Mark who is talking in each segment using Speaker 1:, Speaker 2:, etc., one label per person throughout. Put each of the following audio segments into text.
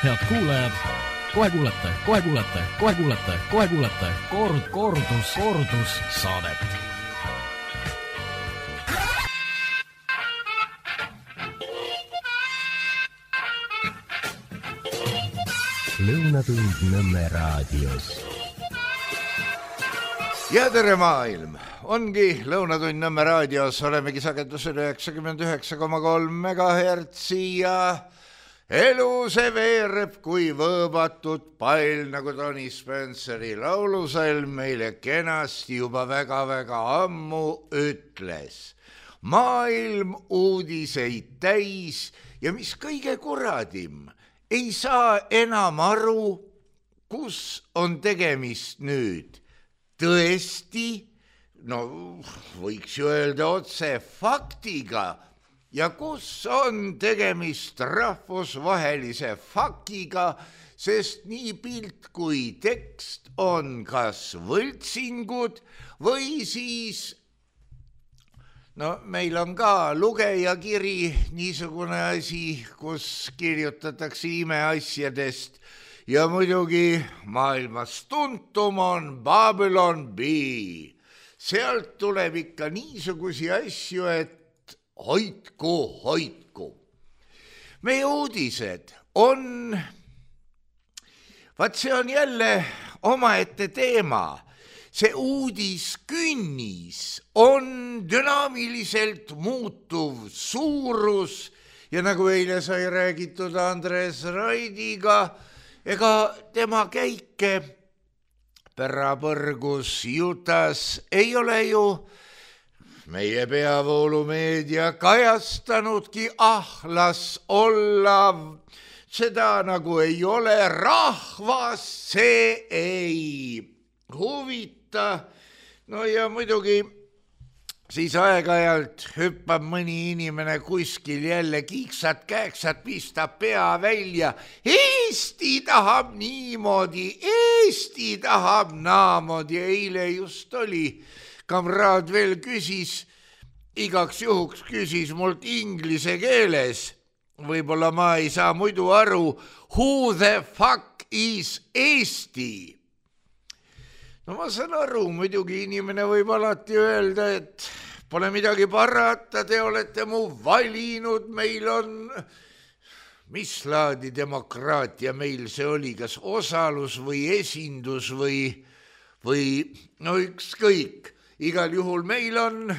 Speaker 1: Head kuulajad, kohe kuulete kordus saadet.
Speaker 2: Lõunatund Nõmme raadios.
Speaker 3: Ja tere maailm! Ongi Lõunatund Nõmme raadios, olemegi sagedusel 99,3 MHz ja elu see veereb kui võõbatud pall, nagu Tony Spenceri laulusalm meile kenasti juba väga-väga ammu ütles. Maailm uudiseid täis ja mis kõige kuradim, ei saa enam aru, kus on tegemist nüüd. Tõesti, no võiks ju öelda otse faktiga ja kus on tegemist rahvusvahelise fakiga, sest nii pilt kui tekst on kas võltsingud või siis no meil on ka lugejakiri, niisugune asi, kus kirjutatakse imeasjadest ja muidugi maailmas tuntum on Babylon Bee. Sealt tuleb ikka niisugusi asju, et hoidku. Meie uudised on, vaat see on jälle omaette teema. See uudiskünnis on dünaamiliselt muutuv suurus ja nagu eile sai räägitud Andres Raidiga, ega tema käike Pärapõrgus Jutas ei ole ju meie peavoolumeedia kajastanudki, las olla, seda nagu ei ole, rahvas see ei huvita. No ja muidugi siis aeg-ajalt hüppab mõni inimene kuskil jälle kiiksad-kääksad, pistab pea välja. Eesti tahab niimoodi, Eesti tahab naamoodi. Eile just oli, kamraad veel küsis, igaks juhuks küsis mult inglise keeles. Võib-olla ma ei saa muidu aru, who the fuck is Eesti? No ma saan aru, muidugi inimene võib alati öelda, et pole midagi parata, te olete mu valinud, meil on, mis laadi demokraatia meil see oli, kas osalus või esindus või no ükskõik, igal juhul meil on,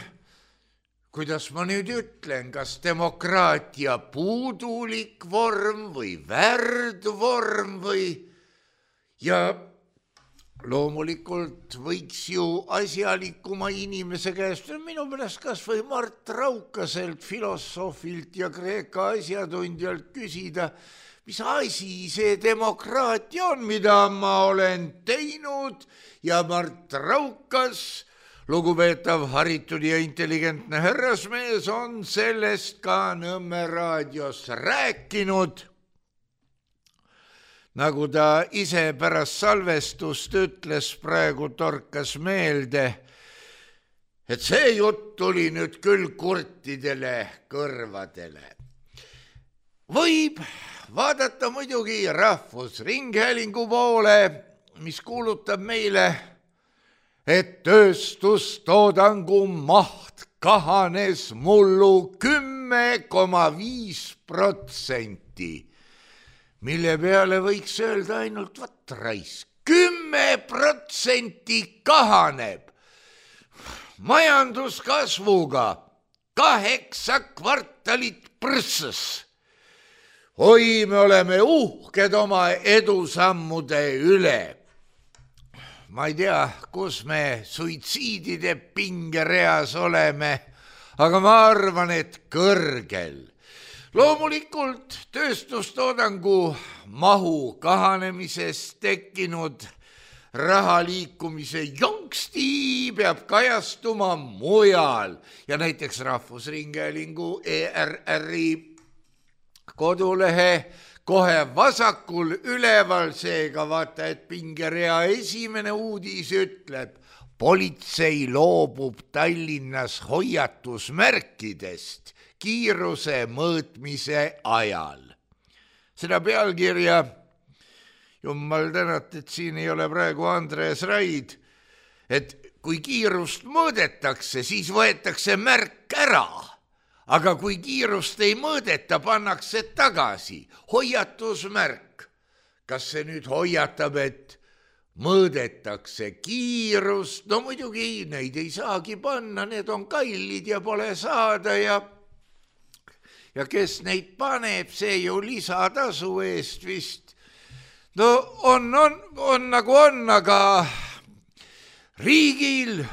Speaker 3: kuidas ma nüüd ütlen, kas demokraatia puudulik vorm või värdvorm või ja loomulikult võiks ju asjalikuma inimese käest, minu meelest kas või Mart Raukaselt, filosoofilt ja Kreeka asjatundjalt küsida, mis asi see demokraatia on, mida ma olen teinud ja Mart Raukas, lugupeetav, haritud ja intelligentne härrasmees, on sellest ka Nõmme raadios rääkinud. Nagu ta ise pärast salvestust ütles, praegu torkas meelde, et see jutt tuli nüüd küll kurtidele kõrvadele. Võib vaadata muidugi Rahvusringhäälingu poole, mis kuulutab meile, et tööstustoodangu maht kahanes mullu 10,5%. Mille peale võiks öelda ainult vatrais. 10% kahaneb majanduskasvuga 8 kvartalit prõssas. Oi, me oleme uhked oma edusammude üle. Ma ei tea, kus me suitsiidide pingereas oleme, aga ma arvan, et kõrgel. Loomulikult tööstustoodangu mahu kahanemisest tekkinud raha liikumise jonksti peab kajastuma mujal ja näiteks Rahvusringhäälingu ERR-i kodulehe kohe vasakul üleval, seega vaata, et pingerea esimene uudis ütleb, politsei loobub Tallinnas hoiatusmärkidest kiiruse mõõtmise ajal. seda pealkirja, jumal tänat, et siin ei ole praegu Andres Raid, et kui kiirust mõõdetakse, siis võetakse märk ära, aga kui kiirust ei mõõdeta, pannakse tagasi, hoiatusmärk. Kas see nüüd hoiatab, et mõõdetakse kiirust? No muidugi neid ei saagi panna, need on kallid ja pole saada ja kes neid paneb, see ju lisatasu eest vist. No on nagu on, aga riigil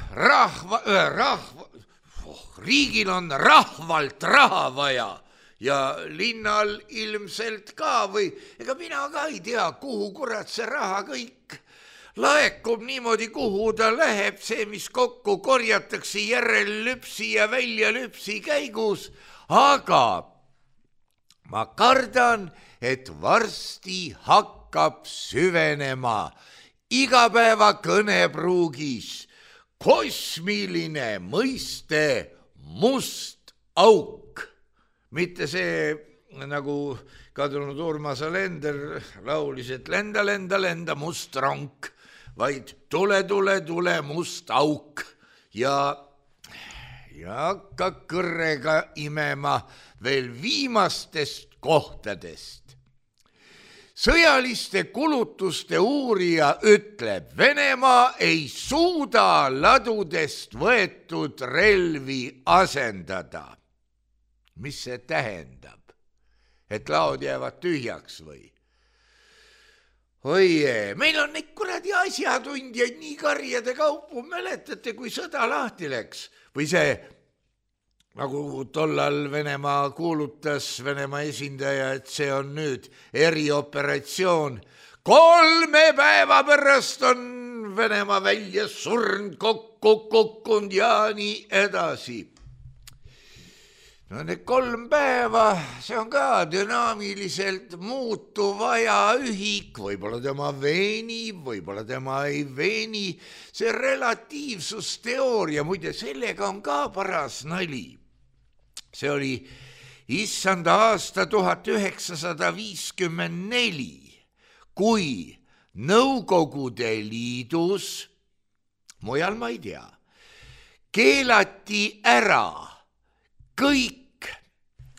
Speaker 3: on rahvalt raha vaja ja linnal ilmselt ka või ega mina ka ei tea, kuhu kurat see raha kõik laekub niimoodi, kuhu ta läheb, see, mis kokku korjatakse järellüpsi ja väljalüpsi käigus, aga ma kardan, et varsti hakkab süvenema igapäeva kõnepruugis kosmiline mõiste must auk. Mitte see, nagu kadunud Urmas Alender laulis, et lenda, lenda, lenda must ronk, vaid tule, tule, tule must auk ja hakka kõrrega imema veel viimastest kohtadest. Sõjaliste kulutuste uurija ütleb, Venemaa ei suuda ladudest võetud relvi asendada. Mis see tähendab? Et laod jäävad tühjaks või? Oie, meil on neid kuradi asjatundjaid nii karjade kaupu, mäletate, kui sõda lahti läks? Või see, nagu tollal Venemaa kuulutas, Venemaa esindaja, et see on nüüd erioperatsioon. 3 päeva pärast on Venemaa välja surnud, kokku kukkunud ja nii edasi. No need 3 päeva, see on ka dünaamiliselt muutuv ajaühik, võib-olla tema veenib, võib-olla tema ei veeni. See relatiivsusteooria, muide, sellega on ka paras nali. See oli issanda aasta 1954, kui Nõukogude Liidus, mujal ma ei tea, keelati ära kõik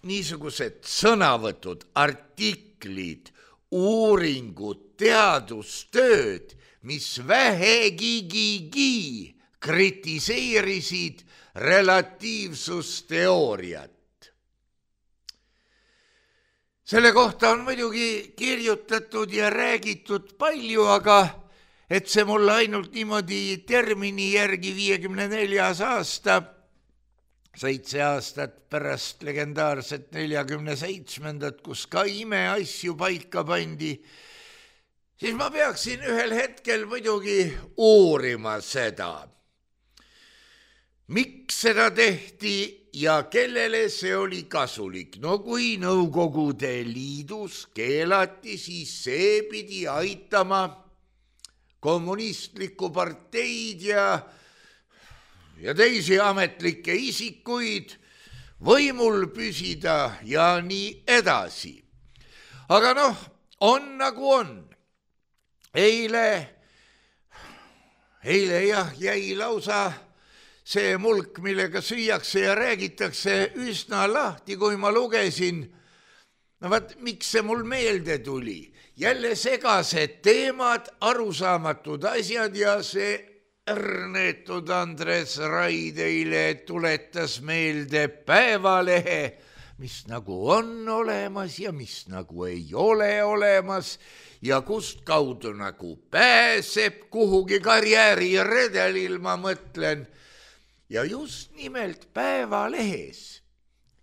Speaker 3: niisugused sõnavõtud, artiklid, uuringud, teadustööd, mis vähegigi kritiseerisid relatiivsusteooriat. Selle kohta on muidugi kirjutatud ja räägitud palju, aga et see mulle ainult niimoodi termini järgi 54. aasta, 7 aastat pärast legendaarset 47. kus ka imeasju paika pandi, siis ma peaksin ühel hetkel muidugi uurima seda. Miks seda tehti ja kellele see oli kasulik? No kui Nõukogude Liidus keelati, siis see pidi aitama kommunistlikku parteid ja teisi ametlikke isikuid võimul püsida ja nii edasi. Aga noh, on nagu on. Eile jah, jäi lausa see mulk, millega süüakse ja räägitakse üsna lahti, kui ma lugesin. No vaat, miks see mul meelde tuli? Jälle segased teemad, arusaamatud asjad ja see ärnetud Andres Raid eile tuletas meelde Päevalehe, mis nagu on olemas ja mis nagu ei ole olemas ja kust kaudu nagu pääseb kuhugi karjääriredelil, ma mõtlen. Ja just nimelt Päevalehes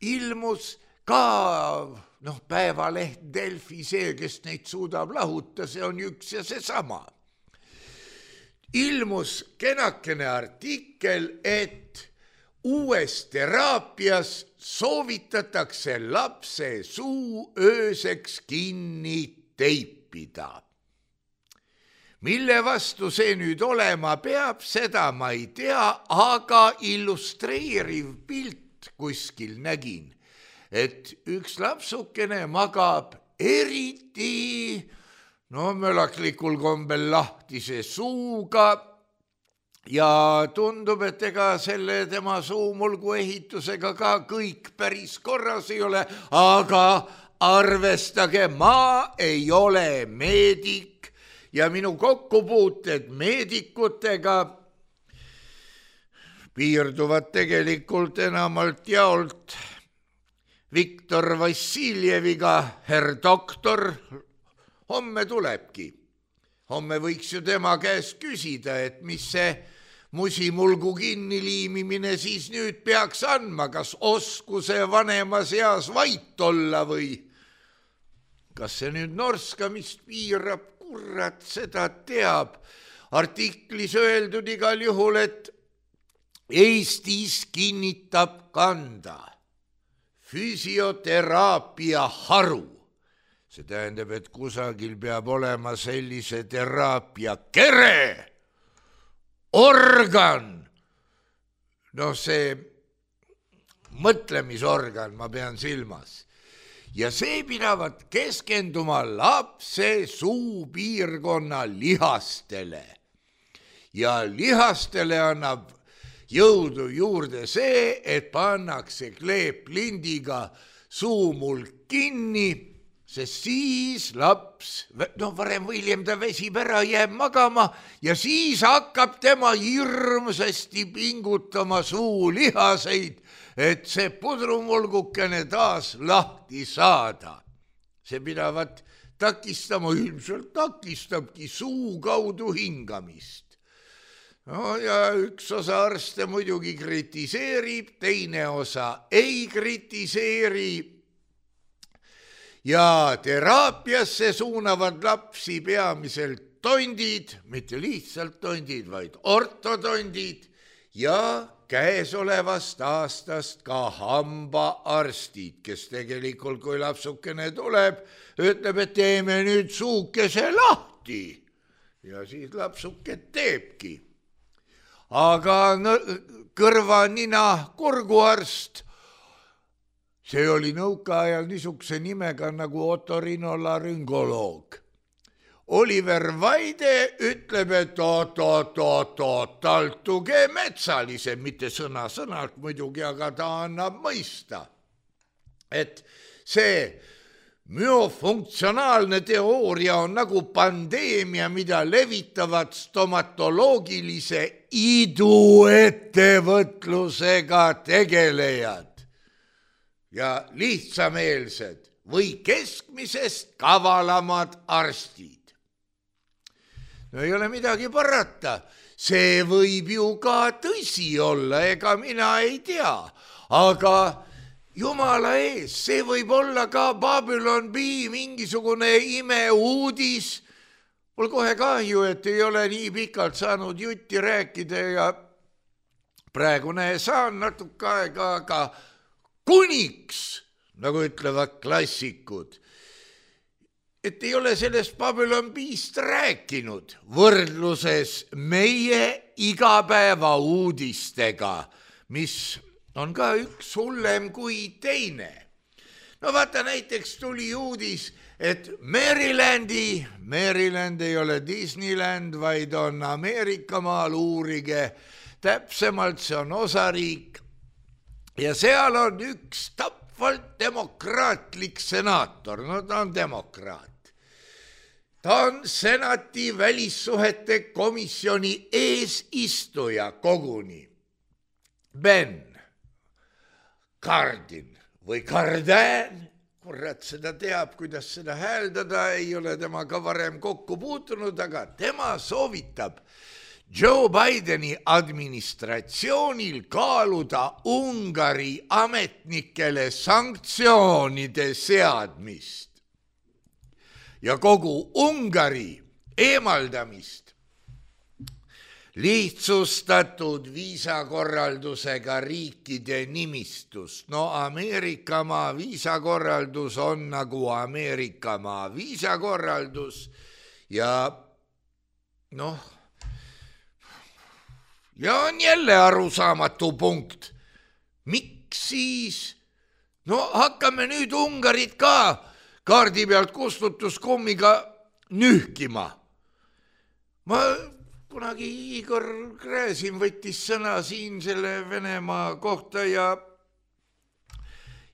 Speaker 3: ilmus ka, Päevaleht, Delfi, see, kes neid suudab lahuta, see on üks ja seesama. Ilmus kenakene artikkel, et uues teraapias soovitatakse lapse suu ööseks kinni teipida. Mille vastu see nüüd olema peab, seda ma ei tea, aga illustreeriv pilt kuskil nägin, et üks lapsukene magab eriti mölaklikul kombel lahtise suuga ja tundub, et ega selle tema suumulgu ehitusega ka kõik päris korras ei ole, aga arvestage, ma ei ole meedik ja minu kokkupuuted meedikutega piirduvad tegelikult enamalt jaolt Viktor Vassiljeviga, herr doktor. Homme tulebki. Homme võiks ju tema käest küsida, et mis see musimulgu kinniliimimine siis nüüd peaks andma, kas oskuse vanemas eas vait olla või kas see nüüd norskamist piirab, kurat seda teab. Artiklis öeldud igal juhul, et Eestis kinnitab kanda füsioteraapia haru. See tähendab, et kusagil peab olema sellise teraapia kere, organ, see mõtlemisorgan ma pean silmas. Ja see pidavat keskenduma lapse suupiirkonna lihastele. Ja lihastele annab jõudu juurde see, et pannakse kleeplindiga suumulk kinni, sest siis laps, varem või hiljem ta väsib ära, jääb magama ja siis hakkab tema hirmsasti pingutama suulihaseid, et see pudrumulgukene taas lahti saada. See pidavat takistama, ilmselt takistabki suu kaudu hingamist. Ja üks osa arste muidugi kritiseerib, teine osa ei kritiseeri. Ja teraapiasse suunavad lapsi peamiselt tondid, mitte lihtsalt tondid, vaid ortotondid ja käesolevast aastast ka hambaarstid, kes tegelikult, kui lapsukene tuleb, ütleb, et teeme nüüd suukese lahti ja siis lapsuke teebki. Aga kõrva, nina, kurguarst, see oli nõukaajal niisuguse nimega nagu otorinolaryngoloog. Oliver Vaide ütleb, et taltuge metsalisem, mitte sõna-sõnalt muidugi, aga ta annab mõista, et see müofunktsionaalne teooria on nagu pandeemia, mida levitavad stomatoloogilise iduettevõtlusega tegelejad ja lihtsameelsed või keskmisest kavalamad arstid. Ei ole midagi parata, see võib ju ka tõsi olla, ega mina ei tea, aga jumala ees, see võib olla ka Babylon B mingisugune imeuudis. Mul kohe kahju, et ei ole nii pikalt saanud jutti rääkida ja praegu saan natuke aega, aga kuniks, nagu ütlevad klassikud, et ei ole sellest Babylon B-st rääkinud võrdluses meie igapäeva uudistega, mis on ka üks hullem kui teine. Vaata, näiteks tuli uudis, et Maryland ei ole Disneyland, vaid on Ameerikamaal, uurige täpsemalt, see on osariik ja seal on üks tapvalt demokraatlik senaator, ta on demokraat. Ta on senati välissuhete komisjoni eesistuja koguni. Ben Cardin või Cardin, kurat seda teab, kuidas seda hääldada, ei ole temaga varem kokku puutunud, aga tema soovitab Joe Bideni administratsioonil kaaluda Ungari ametnikele sanktsioonide seadmist ja kogu Ungari eemaldamist lihtsustatud viisakorraldusega riikide nimistust. Ameerikamaa viisakorraldus on nagu Ameerikamaa viisakorraldus ja on jälle arusaamatu punkt. Miks siis? Hakkame nüüd Ungarit ka kaardi pealt kustutuskummiga nühkima. Ma kunagi Igor Gräzin võttis sõna siin selle Venemaa kohta ja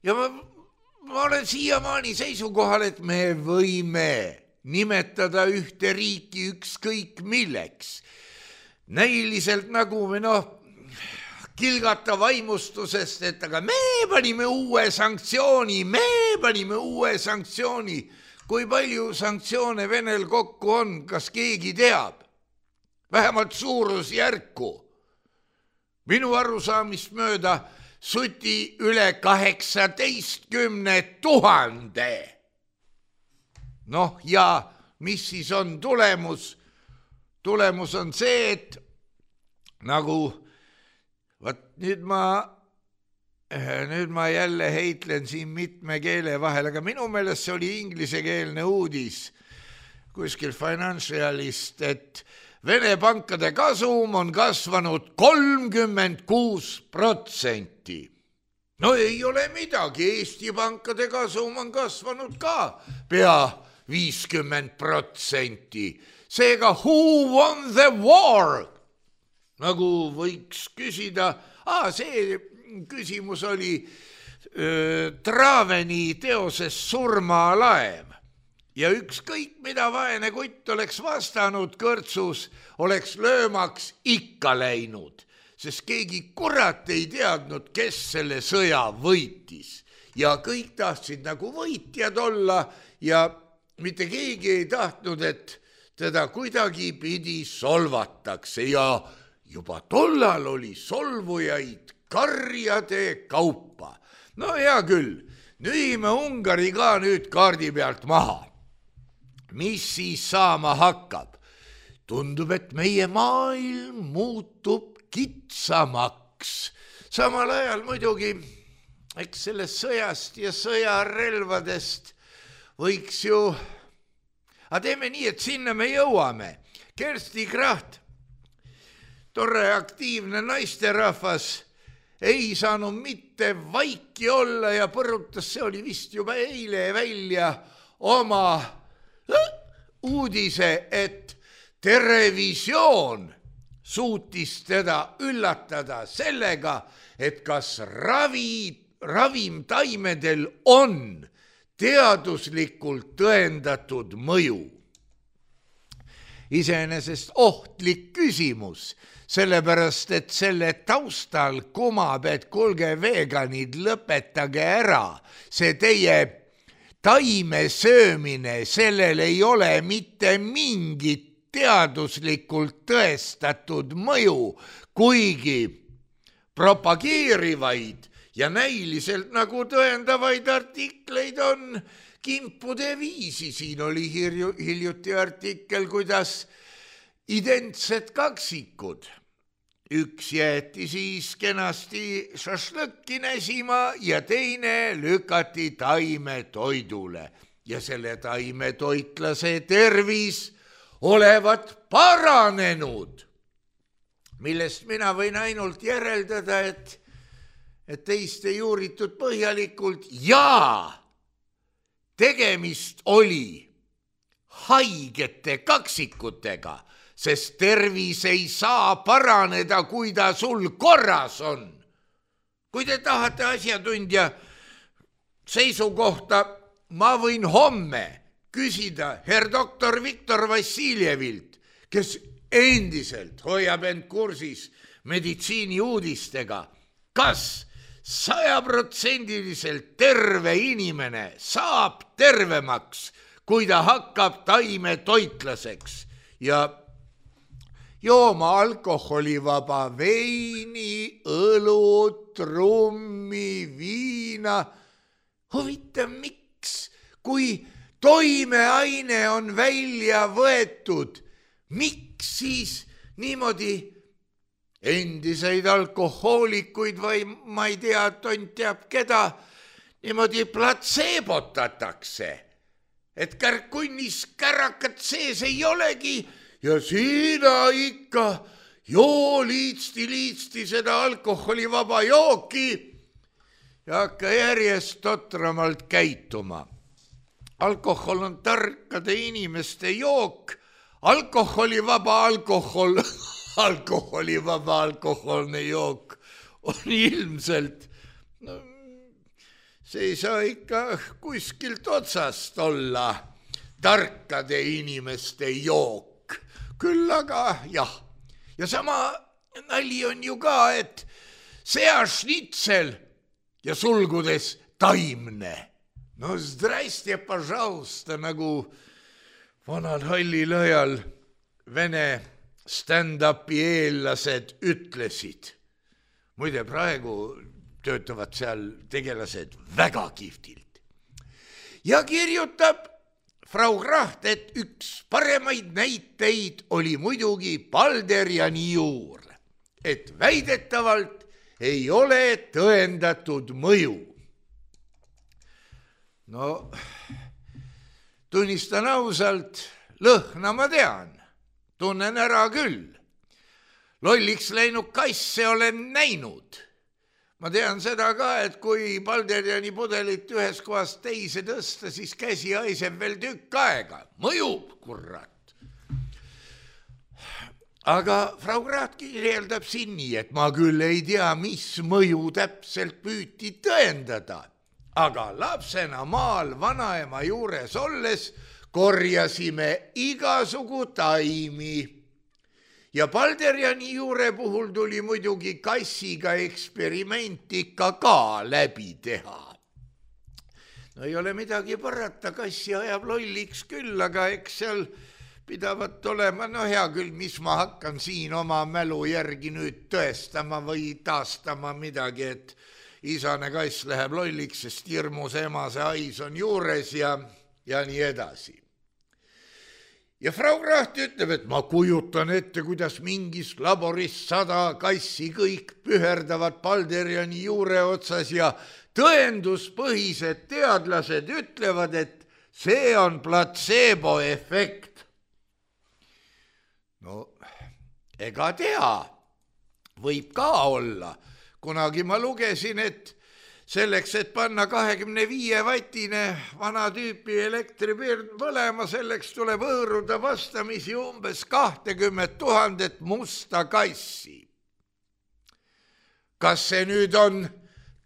Speaker 3: ma olen siiamaani seisukohal, et me võime nimetada ühte riiki ükskõik milleks. Näiliselt nagu me kilgata vaimustusest, et aga me panime uue sanktsiooni. Kui palju sanktsioone Venel kokku on, kas keegi teab? Vähemalt suurusjärku. Minu arusaamist mööda suti üle 18 000. Ja mis siis on tulemus? Tulemus on see, et nagu nüüd ma jälle heitlen siin mitme keele vahel, aga minu meelest see oli inglisekeelne uudis kuskil Financialist, et Vene pankade kasum on kasvanud 36%. No ei ole midagi, Eesti pankade kasum on kasvanud ka pea 50%. Seega, who won the war? Nagu võiks küsida, see küsimus oli Traveni teoses Surmalaev. Ja ükskõik mida vaene kutt oleks vastanud kõrtsus, oleks löömaks ikka läinud, sest keegi kurat ei teadnud, kes selle sõja võitis. Ja kõik tahtsid nagu võitjad olla ja mitte keegi ei tahtnud, et teda kuidagi pidi solvatakse ja juba tollal oli solvujaid karjade kaupa. No hea küll, nühime Ungari ka nüüd kaardi pealt maha. Mis siis saama hakkab? Tundub, et meie maailm muutub kitsamaks. Samal ajal muidugi, eks sellest sõjast ja sõjarelvadest võiks ju... teeme nii, et sinna me jõuame. Kersti Kracht, tore aktiivne naisterahvas, ei saanud mitte vaiki olla ja põrutas, see oli vist juba eile välja oma uudise, et Terevisioon suutis teda üllatada sellega, et kas ravimtaimedel on teaduslikult tõendatud mõju. Iseenesest ohtlik küsimus, sellepärast, et selle taustal kumab, et kuulge veganid, lõpetage ära, see teie taime söömine, sellel ei ole mitte mingit teaduslikult tõestatud mõju, kuigi propageerivaid ja näiliselt nagu tõendavaid artikleid on kimpude viisi. Siin oli hiljuti artikkel, kuidas identsed kaksikud. Üks jäeti siis kenasti šašlõkki näsima ja teine lükati taimetoidule. Ja selle taimetoitlase tervis olevat paranenud, millest mina võin ainult järeldada, et teist ei uuritud põhjalikult ja tegemist oli haigete kaksikutega, sest tervis ei saa paraneda, kui ta sul korras on. Kui te tahate asjatundja seisukohta, ma võin homme küsida herr doktor Viktor Vassiljevilt, kes endiselt hoiab end kursis meditsiini uudistega, kas 100% terve inimene saab tervemaks, kui ta hakkab taimetoitlaseks ja jooma alkoholivaba veini, õlut, rummi, viina. Huvitav, miks, kui toimeaine on välja võetud, miks siis niimoodi endiseid alkohoolikuid või ma ei tea, tont teab keda, niimoodi platseebotatakse, et kärkunnis kärakat sees ei olegi ja sina ikka joo liitsti seda alkoholivaba jooki ja hakka järjest totramalt käituma. alkohol on tarkade inimeste jook, alkoholivaba alkohol, alkoholivaba alkoholne jook on ilmselt, no, see ei saa ikka kuskilt otsast olla tarkade inimeste jook, küll aga jah. Ja sama nali on ju ka, et seašnitsel ja sulgudes taimne. No zdraste, пожалуйста, nagu vanal hallil ajal vene stand-upi eellased ütlesid. Muide, praegu töötavad seal tegelased väga kihvtilt. Ja kirjutab Frau Kraht, et üks paremaid näiteid oli muidugi Balderiani juur, et väidetavalt ei ole tõendatud mõju. No, tunnistan ausalt, lõhna ma tean, tunnen ära küll. Lolliks läinud kasse olen näinud. Ma tean seda ka, et kui Balderiani pudelit ühes kohast teise tõsta, siis käsi haiseb veel tükk aega. Mõjub, kurat. Aga Frau Kraht kirjeldab siin nii, et ma küll ei tea, mis mõju täpselt püüti tõendada. Aga lapsena maal vanaema juures olles korjasime igasugu taimi. Ja Balderiani juure puhul tuli muidugi kassiga eksperiment ikka ka läbi teha. No ei ole midagi parata, kassi ajab lolliks küll, aga eks seal pidavat olema, no hea küll, mis ma hakkan siin oma mälu järgi nüüd tõestama või taastama midagi, et isane kass läheb lolliks, sest hirmus emase hais on juures ja nii edasi. Ja Frau Kraht ütleb, et ma kujutan ette, kuidas mingis laboris 100 kassi kõik püherdavad Balderiani juure otsas ja tõenduspõhised teadlased ütlevad, et see on platseeboefekt. No, ega tea, võib ka olla. Kunagi ma lugesin, et selleks, et panna 25-vatine vana tüüpi elektripirn põlema, selleks tuleb hõõruda vastamisi umbes 20 000 musta kassi. Kas see nüüd on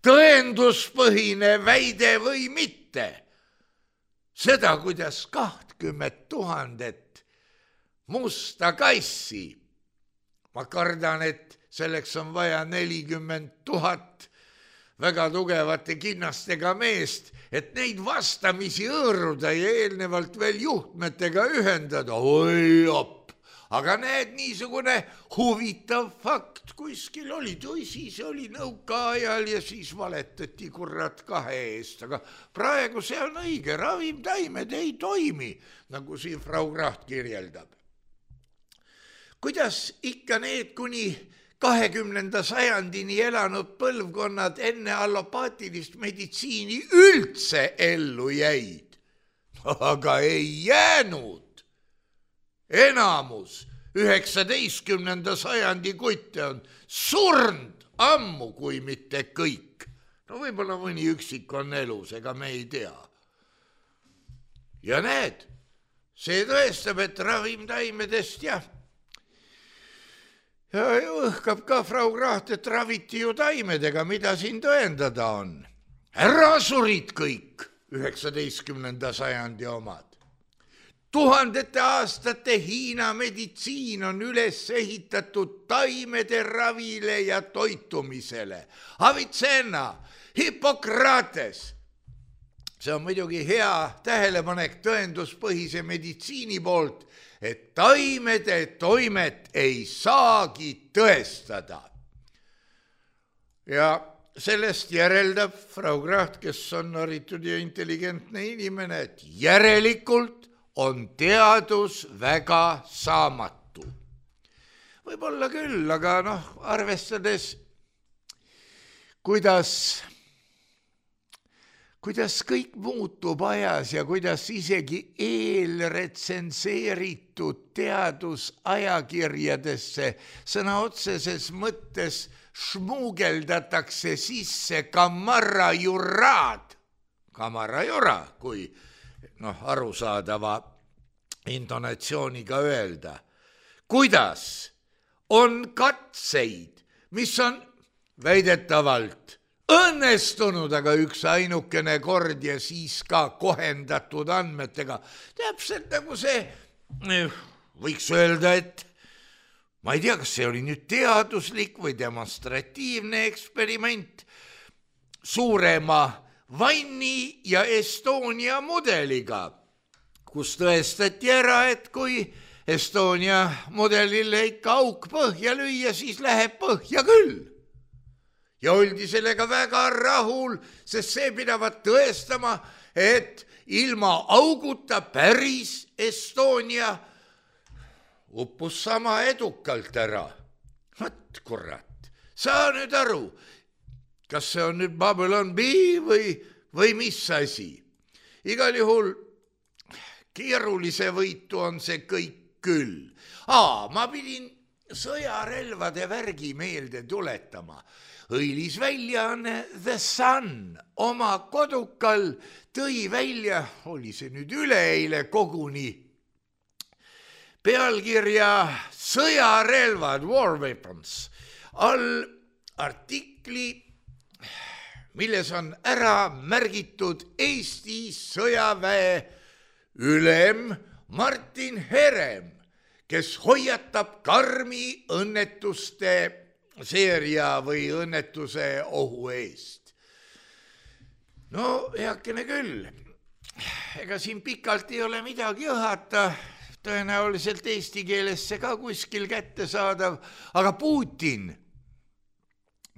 Speaker 3: tõenduspõhine väide või mitte? Seda, kuidas 20 000 musta kassi. Ma kardan, et selleks on vaja 40 000 väga tugevate kinnastega meest, et neid vastamisi hõõruda ja eelnevalt veel juhtmetega ühendada. Oi op! Aga näed, niisugune huvitav fakt kuskil oli. Tõsi, see oli nõukaajal ja siis valetati kurat 2 eest. Aga praegu see on õige, ravimtaimed ei toimi, nagu siin Frau Kraht kirjeldab. Kuidas ikka need kuni 20. sajandini elanud põlvkonnad enne allopaatilist meditsiini üldse ellu jäid? Aga ei jäänud. Enamus 19. sajandi kutte on surnud ammu, kui mitte kõik. No võib-olla mõni üksik on elus, ega me ei tea. Ja näed, see tõestab, et ravimtaimedest ja õhkab ka Frau Kraht, et raviti ju taimedega, mida siin tõendada on. Ära surid kõik 19. sajandi omad. Tuhandete aastate Hiina meditsiin on üles ehitatud taimede ravile ja toitumisele. Avicenna, Hippokrates. See on muidugi hea tähelepanek tõenduspõhise meditsiini poolt, et taimede toimet ei saagi tõestada. Ja sellest järeldab Frau Kraht, kes on haritud ja intelligentne inimene, et järelikult on teadus väga saamatu. Võib-olla küll, aga arvestades, kuidas kõik muutub ajas ja kuidas isegi eelretsenseeritud teadusajakirjadesse sõna otseses mõttes šmugeldatakse sisse kamarajuraad, kamarajura, kui arusaadava intonatsiooniga öelda. Kuidas on katseid, mis on väidetavalt õnnestunud, aga üks ainukene kord ja siis ka kohendatud andmetega. Täpselt nagu see, võiks öelda, et ma ei tea, kas see oli nüüd teaduslik või demonstratiivne eksperiment suurema Vanni ja Estonia mudeliga, kus tõestati ära, et kui Estonia mudelile ikka auk põhja lüüa, siis läheb põhja küll. Ja oldi sellega väga rahul, sest see pidavat tõestama, et ilma auguta päris Estonia uppus sama edukalt ära. Vat kurat, saa nüüd aru, kas see on nüüd Babylon B või mis asi. Igal juhul keerulise võitu on see kõik küll. Ma pidin sõjarelvade värgi meelde tuletama. Õilisväljaanne The Sun oma kodukal tõi välja, oli see nüüd üleeile koguni, pealkirja Sõjarelvad, War Weapons, all artikli, milles on ära märgitud Eesti sõjaväe ülem Martin Herem, kes hoiatab karmi õnnetuste seeria või õnnetuse ohu eest. Heakene küll, ega siin pikalt ei ole midagi õhata, tõenäoliselt eesti keelesse ka kuskil kätte saadav, aga Putin,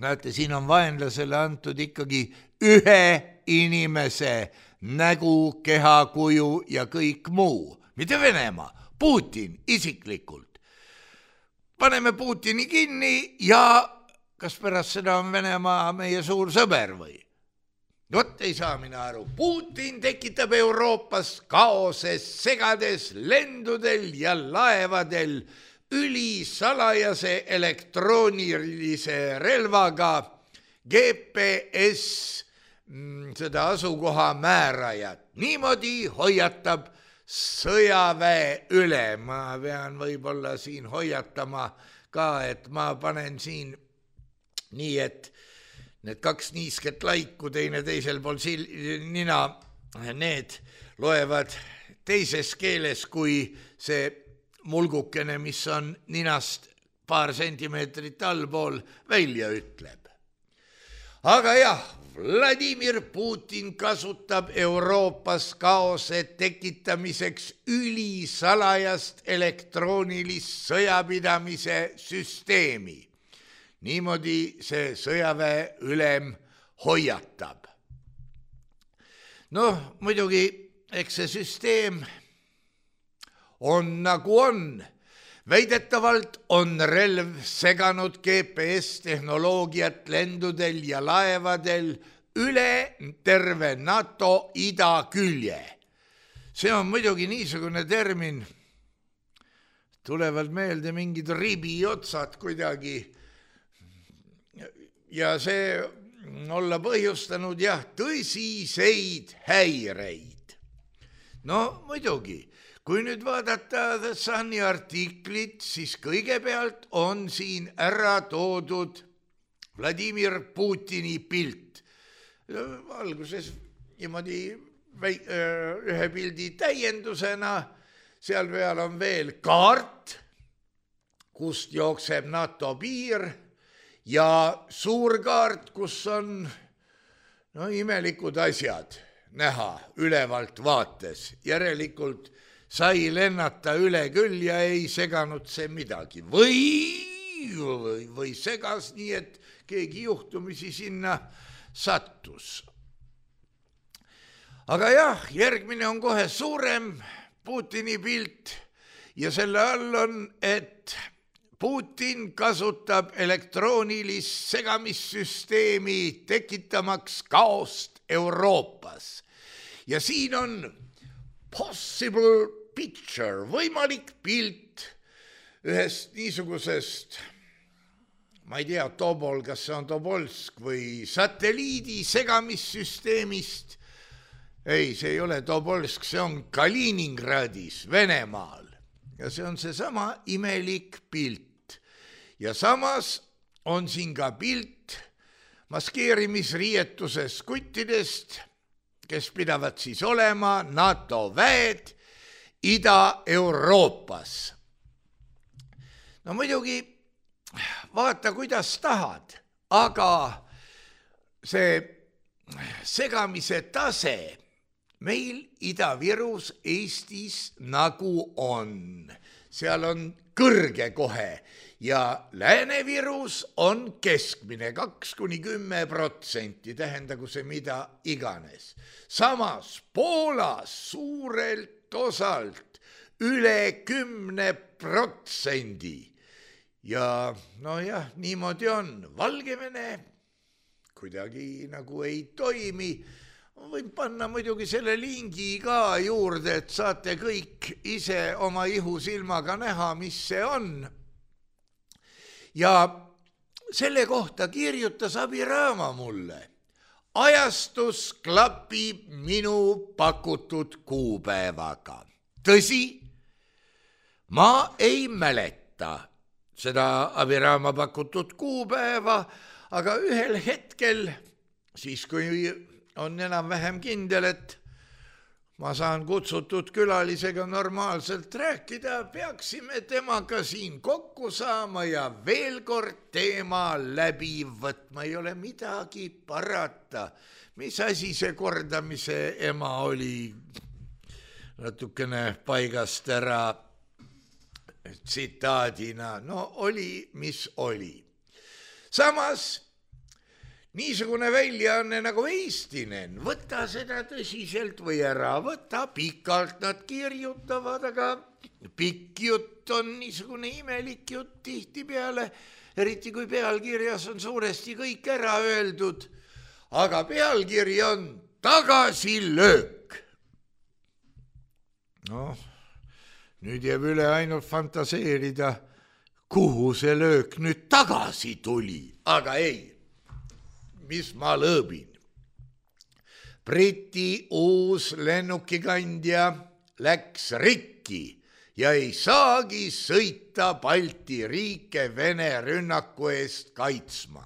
Speaker 3: näete, siin on vaenlasele antud ikkagi ühe inimese nägu, kehakuju ja kõik muu, mitte Venemaa, Putin isiklikult. Paneme Putini kinni ja kas pärast seda on Venemaa meie suur sõber või? Ei saa mina aru. Putin tekitab Euroopas kaoses, segades lendudel ja laevadel ülisalajase elektroonilise relvaga GPS seda asukoha määrajat. Niimoodi hoiatab sõjaväe üle. Ma pean võib-olla siin hoiatama ka, et ma panen siin nii, et need kaks niisket laiku teine teisel pool nina, need loevad teises keeles kui see mulgukene, mis on ninast paar sentimeetrit allpool välja ütleb. Aga jah, Vladimir Putin kasutab Euroopas kaose tekitamiseks ülisalajast elektroonilist sõjapidamise süsteemi. Niimoodi see sõjaväe ülem hoiatab. Muidugi, eks see süsteem on nagu on. Väidetavalt on relv seganud GPS-tehnoloogiat lendudel ja laevadel üle terve NATO idakülje. See on muidugi niisugune termin, tulevad meelde mingid ribiotsad kuidagi ja see olla põhjustanud tõsiseid häireid. Muidugi. Kui nüüd vaadata The Suni artiklit, siis kõigepealt on siin ära toodud Vladimir Putini pilt. Alguses niimoodi ühe pildi täiendusena, seal peal on veel kaart, kust jookseb NATO piir ja suur kaart, kus on imelikud asjad näha ülevalt vaates. Järelikult sai lennata üle küll ja ei seganud see midagi. Või segas nii, et keegi juhtumisi sinna sattus. Aga jah, järgmine on kohe suurem Putini pilt ja selle all on, et Putin kasutab elektroonilist segamissüsteemi tekitamaks kaost Euroopas. Ja siin on possible picture, võimalik pilt ühest niisugusest, ma ei tea, Tobol, kas see on Tobolsk või satelliidi segamissüsteemist, ei, see ei ole Tobolsk, see on Kaliningradis, Venemaal. Ja see on seesama imelik pilt. Ja samas on siin ka pilt maskeerimisriietuses kuttidest, kes pidavad siis olema NATO väed Ida-Euroopas. No muidugi vaata, kuidas tahad, aga see segamise tase meil Ida-Virus Eestis nagu on. Seal on kõrge kohe ja Lääne-Virus on keskmine 2–10%, tähendagu see mida iganes. Samas Poolas suurelt osalt üle 10%. Ja nojah, niimoodi on. Valgevene kuidagi nagu ei toimi. Võin panna muidugi selle lingi ka juurde, et saate kõik ise oma ihusilmaga näha, mis see on. Ja selle kohta kirjutas Abiraama mulle. Ajastus klapib minu pakutud kuupäevaga. Tõsi, ma ei mäleta seda Abiraama pakutud kuupäeva, aga ühel hetkel, siis kui on enam-vähem kindel, et ma saan kutsutud külalisega normaalselt rääkida, peaksime temaga siin kokku saama ja veel kord teema läbi võtma. Ei ole midagi parata. Mis asi see kordamise ema oli natukene paigast ära tsitaadina? No oli, mis oli. Samas niisugune väljaanne nagu Eestinen, võta seda tõsiselt või ära võta, pikalt nad kirjutavad, aga pikk jutt on niisugune imelik jutt tihtipeale, eriti kui pealkirjas on suuresti kõik ära öeldud, aga pealkiri on tagasilöök. Noh, nüüd jääb üle ainult fantaseerida, kuhu see löök nüüd tagasi tuli, aga ei. Mis ma lõõbin. Briti uus lennukikandja läks rikki ja ei saagi sõita Balti riike Vene rünnaku eest kaitsma.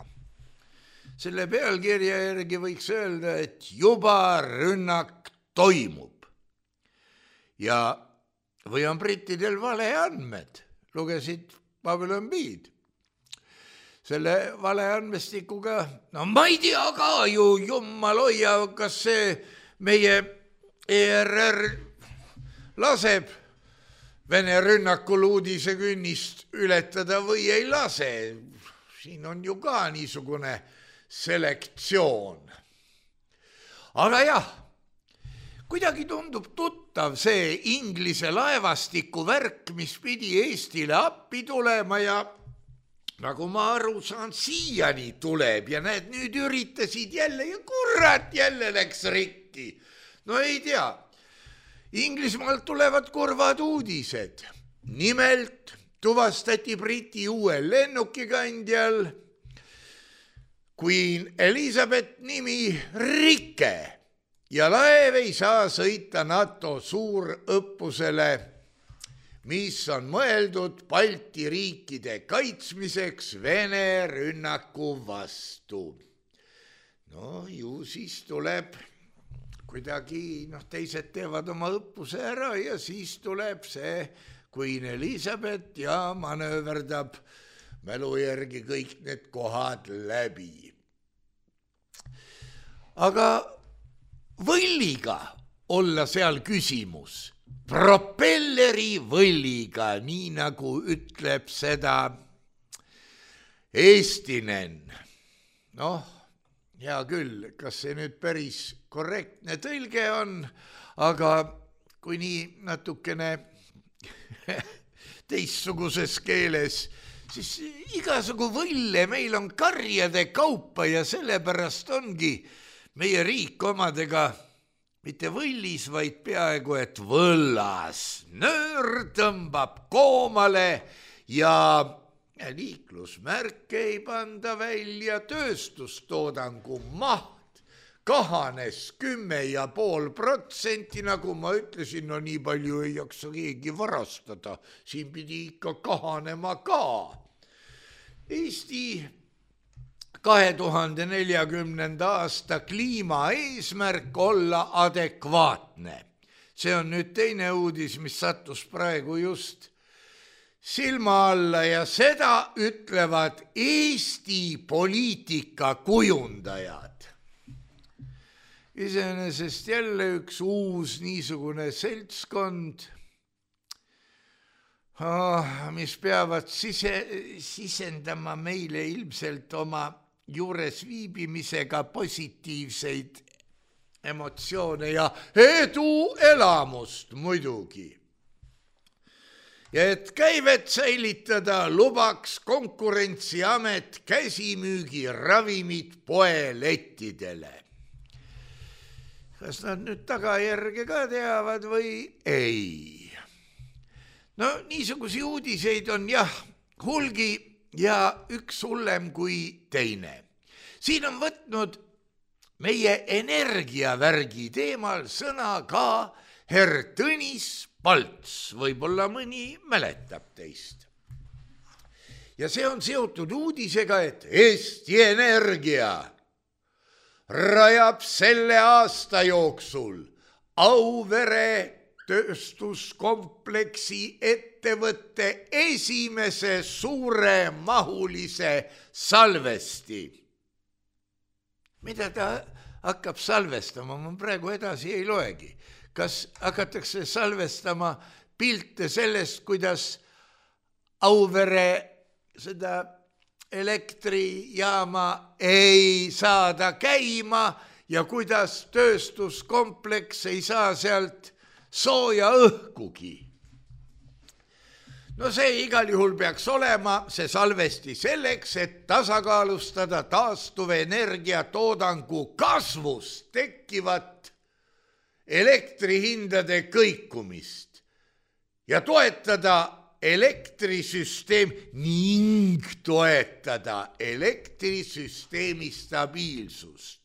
Speaker 3: Selle pealkirja järgi võiks öelda, et juba rünnak toimub. Ja või on brittidel valeandmed, lugesid Babylon Beed. Selle valeandmestikuga, no ma ei tea ka ju, jummal hoia, kas see meie ERR laseb Vene rünnakul uudisekünnist ületada või ei lase. Siin on ju ka niisugune selektsioon. Aga jah, kuidagi tundub tuttav see Inglise laevastiku värk, mis pidi Eestile appi tulema ja nagu ma aru saan, siiani tuleb ja näed, nüüd üritasid jälle ja kurat, jälle läks rikki. No ei tea, Inglismaalt tulevad kurvad uudised. Nimelt tuvastati Briti uuel lennukikandjal Queen Elizabeth nimi rike ja laev ei saa sõita NATO suurõppusele, mis on mõeldud Balti riikide kaitsmiseks Vene rünnaku vastu. No ju siis tuleb kuidagi, teised teevad oma õppuse ära ja siis tuleb see Queen Elizabeth ja manööverdab mälu järgi kõik need kohad läbi. Aga võlliga olla seal küsimus. Propelleri võlliga, nii nagu ütleb seda Eestinen. Noh, hea küll, kas see nüüd päris korrektne tõlge on, aga kui nii natukene teistsuguses keeles, siis igasugu võlle meil on karjade kaupa ja sellepärast ongi meie riik omadega mitte võllis, vaid peaaegu et võllas. Nöör tõmbab koomale ja liiklusmärke ei panda välja, tööstustoodangu maht kahanes 10,5%, nagu ma ütlesin, no nii palju ei jaksa keegi varastada, siin pidi ikka kahanema ka. Eesti 2040. aasta kliimaeesmärk olla adekvaatne. See on nüüd teine uudis, mis sattus praegu just silma alla ja seda ütlevad Eesti poliitika kujundajad. Iseenesest jälle üks uus niisugune seltskond, mis peavad sisendama meile ilmselt oma juures viibimisega positiivseid emotsioone ja eduelamust muidugi. Ja et käivet säilitada, lubaks Konkurentsiamet käsimüügi ravimid poelettidele. Kas nad nüüd tagajärge ka teavad või ei? No niisugusi uudiseid on jah hulgi ja üks hullem kui teine. Siin on võtnud meie energiavärgi teemal sõna ka herr Tõnis Palts, võib-olla mõni mäletab teist. Ja see on seotud uudisega, et Eesti Energia rajab selle aasta jooksul Auvere tööstuskompleksi ettevõtte esimese suuremahulise salvesti. Mida ta hakkab salvestama? Ma praegu edasi ei loegi. Kas hakatakse salvestama pilte sellest, kuidas Auvere seda elektrijaama ei saada käima ja kuidas tööstuskompleks ei saa sealt sooja õhkugi. No see igal juhul peaks olema see salvesti selleks, et tasakaalustada taastuvenergia toodangu kasvust tekkivat elektrihindade kõikumist ja toetada elektrisüsteemi stabiilsust.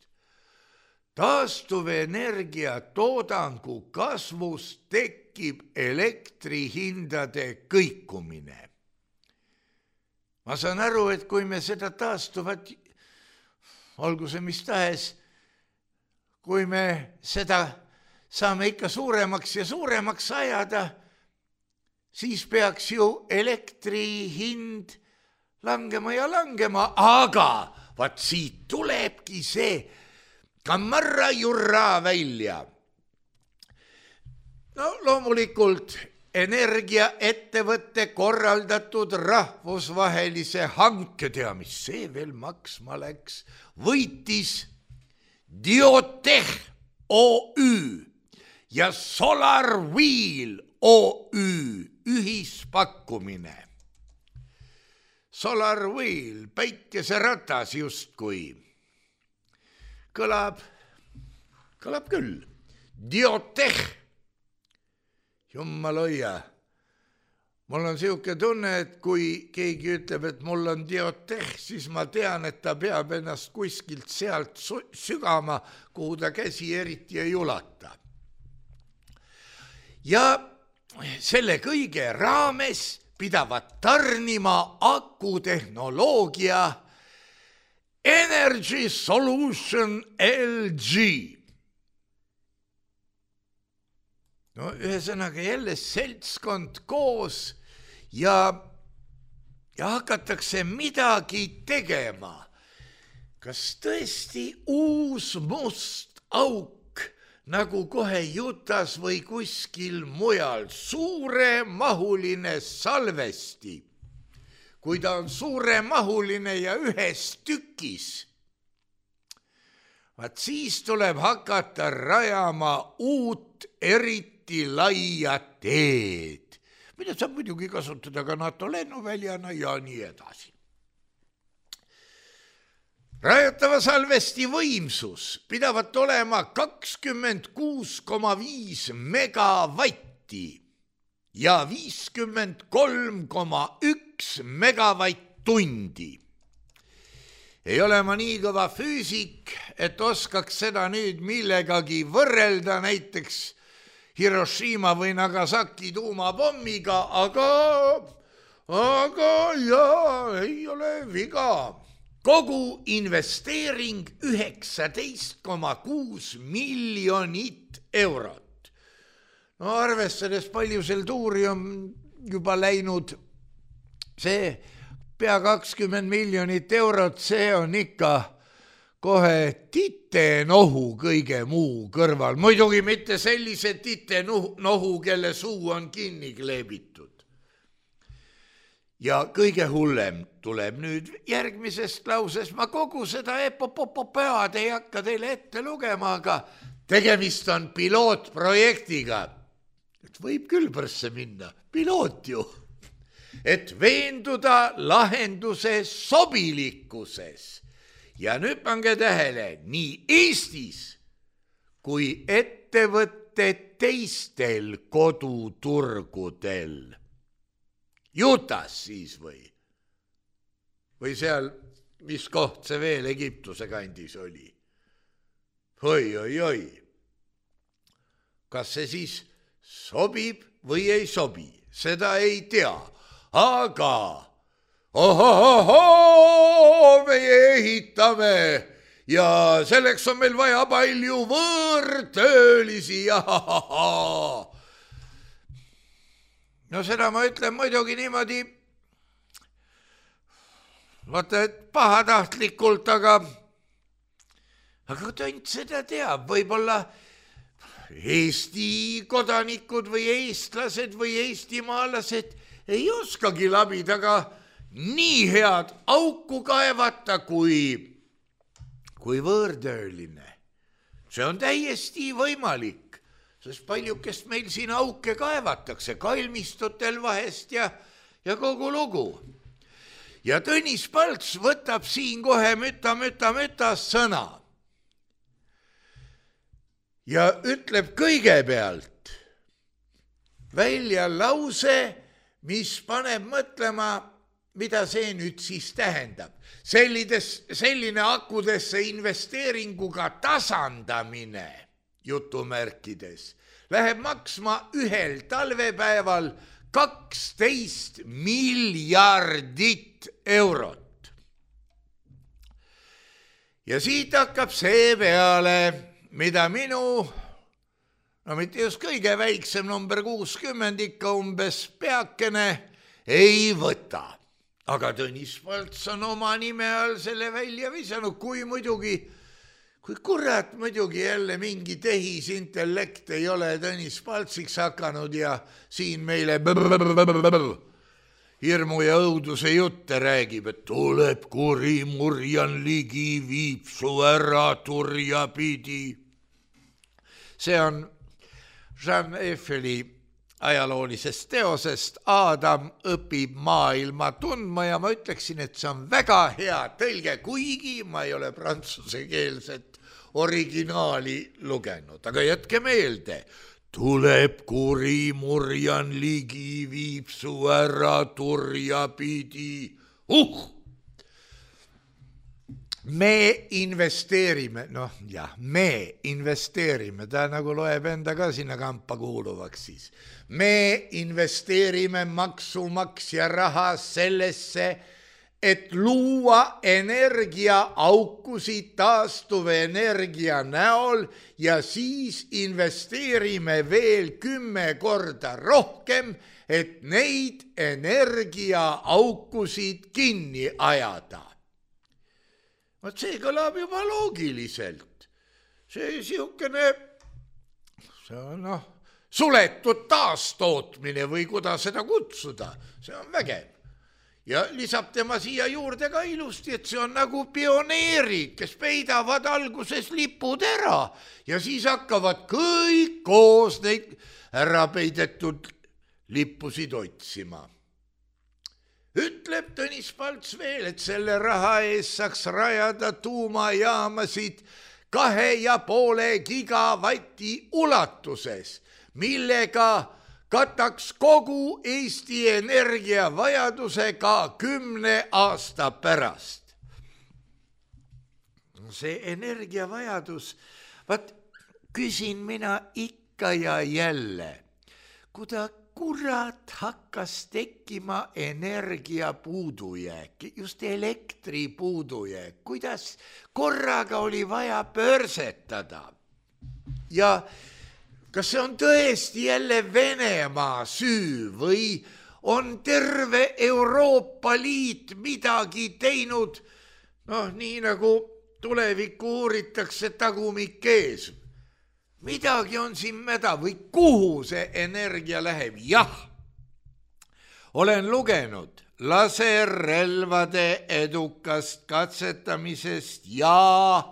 Speaker 3: Taastuvenergia toodangu kasvust tekib elektrihindade kõikumine. Ma saan aru, et kui me seda taastuvat, olgu see mis tahes, kui me seda saame ikka suuremaks ja suuremaks ajada, siis peaks ju elektri hind langema ja langema, aga vaat siit tulebki see kammarra jurra välja. No loomulikult energiaettevõtte korraldatud rahvusvahelise hanke, tea mis see veel maksma läks, võitis Diotech OÜ ja SolarWheel OÜ ühispakkumine. SolarWheel, päikeseratas justkui. Kõlab küll. Diotech. Jummal hoia. Mul on siuke tunne, et kui keegi ütleb, et mul on Diotech, siis ma tean, et ta peab ennast kuskilt sealt sügama, kuhu ta käsi eriti ei ulata. Ja selle kõige raames pidavat tarnima akutehnoloogia Energy Solution LG. No ühesõnaga jälle seltskond koos ja hakatakse midagi tegema. Kas tõesti uus must auk, nagu kohe Jutas või kuskil mujal, suuremahuline salvesti? Kui ta on suuremahuline ja ühes tükis, vaat siis tuleb hakata rajama uut eriti laia teed, mida saab muidugi kasutada ka NATO lennuväljana ja nii edasi. Rajatava salvesti võimsus pidavat olema 26,5 megavatti ja 53,1 megavatt-tundi. ei ole ma nii kõva füüsik, et oskaks seda nüüd millegagi võrrelda, näiteks Hiroshima või Nagasaki tuumapommiga, aga jaa, ei ole viga. Kogu investeering 19,6 miljonit eurot. No arvestades palju sel tuuri on juba läinud, see pea 20 miljonit eurot, see on ikka kohe titenohu kõige muu kõrval. Muidugi mitte sellise titenohu, kelle suu on kinni kleebitud. Ja kõige hullem tuleb nüüd järgmisest lauses. Ma kogu seda epopopead ei hakka teile ette lugema, aga tegemist on pilootprojektiga. Et võib küll pärsse minna, piloot ju. Et veenduda lahenduse sobilikkuses. Ja nüüd pange tähele, nii Eestis kui ettevõtte teistel koduturgudel. Jutas siis või seal, mis koht see veel Egiptuse kandis oli? Oi. Kas see siis sobib või ei sobi? Seda ei tea, aga meie ehitame ja selleks on meil vaja palju võõrtöölisi. No seda ma ütlen muidugi niimoodi, vaata, et pahatahtlikult, aga tõnd seda teab, võib-olla Eesti kodanikud või eestlased või eestimaalased ei oskagi labidaga nii head auku kaevata kui võõrtööline. See on täiesti võimalik. Sest paljukest meil siin auke kaevatakse, kalmistutel vahest ja kogu lugu. Ja Tõnis Palts võtab siin kohe müta sõna. Ja ütleb kõigepealt välja lause, mis paneb mõtlema, mida see nüüd siis tähendab. Selline akudesse investeeringuga tasandamine, jutumärkides, läheb maksma ühel talvepäeval 12 miljardit eurot. Ja siit hakkab see peale, mida minu, no mitte just kõige väiksem number 60 ikka umbes peakene ei võta. Aga Tõnis Palts on oma nime all selle välja visanud, kui kurat muidugi jälle mingi tehisintellekt ei ole Tõnis Paltsiks hakanud ja siin meile hirmu ja õuduse jutte räägib, et tuleb kuri murjan ligi, viib su ära turja pidi. See on Jean Eiffeli ajaloolisest teosest Adam õpib maailma tundma ja ma ütleksin, et see on väga hea tõlge, kuigi ma ei ole prantsusekeelset originaali lugenud. Aga jätke meelde, tuleb kuri murjan ligi, viib su ära turja pidi. Me investeerime, me investeerime, ta nagu loeb enda ka sinna kampa kuuluvaks siis. Me investeerime maksumaksja raha sellesse, et luua energiaaukusid taastuvenergia näol ja siis investeerime veel 10 korda rohkem, et neid energiaaukusid kinni ajada. See kõlab juba loogiliselt. See siukene, see on suletud taastootmine või kuidas seda kutsuda, see on vägev. Ja lisab tema siia juurde ka ilusti, et see on nagu pioneerid, kes peidavad alguses lipud ära ja siis hakkavad kõik koos neid ära peidetud lippusid otsima. Ütleb Tõnis Palts veel, et selle raha ees saaks rajada tuumajaamasid 2,5 gigavati ulatuses, millega kataks kogu Eesti energiavajaduse ka 10 aasta pärast. see energiavajadus, vaat küsin mina ikka ja jälle, kuida kurat hakkas tekkima energia puudujääk, just elektri puudujääk, kuidas korraga oli vaja pörsetada. Ja kas see on tõesti jälle Venemaa süü või on terve Euroopa Liit midagi teinud, nii nagu tulevikku uuritakse tagumik ees. Midagi on siin mäda või kuhu see energia läheb? Jah, olen lugenud laserrelvade edukast katsetamisest ja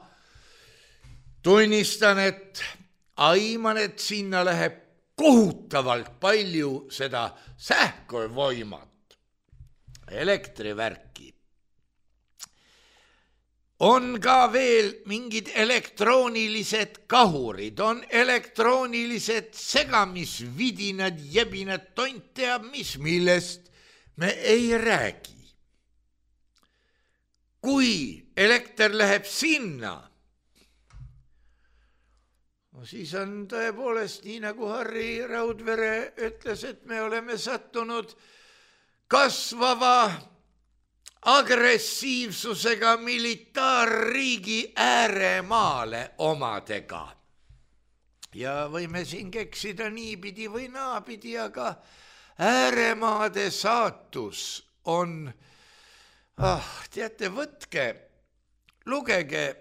Speaker 3: tunnistan, et aiman, et sinna läheb kohutavalt palju seda sähkövoimat, elektrivärki. On ka veel mingid elektroonilised kahurid, on elektroonilised segamisvidinad, jebinad, tont teab mis, millest me ei räägi. Kui elekter läheb sinna, siis on tõepoolest nii, nagu Harri Raudvere ütles, et me oleme sattunud kasvava agressiivsusega militaarriigi ääremaale omadega. Ja võime siin keksida niipidi või naapidi, aga ääremaade saatus on, teate, võtke, lugege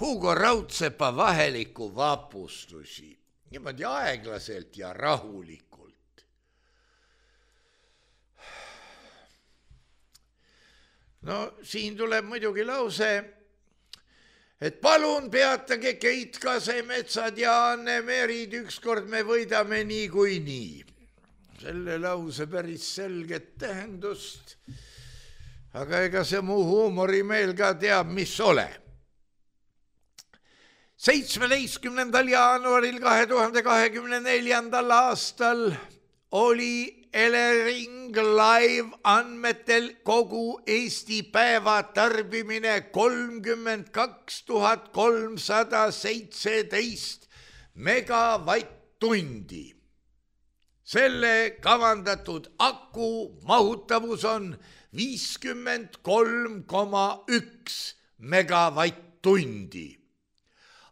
Speaker 3: Hugo Raudsepa Vaheliku vapustusi, niimoodi aeglaselt ja rahulikult. Siin tuleb muidugi lause, et palun peatage Keit Kasemetsad ja Anne Merid, ükskord me võidame niikuinii. Selle lause päris selget tähendust, aga ega see mu huumorimeel ka teab, mis ole. 17. jaanuaril 2024. aastal oli Elering Live andmetel kogu Eesti päeva tarbimine 32 317 megavatt-tundi. Selle kavandatud aku mahutavus on 53,1 megavatt-tundi.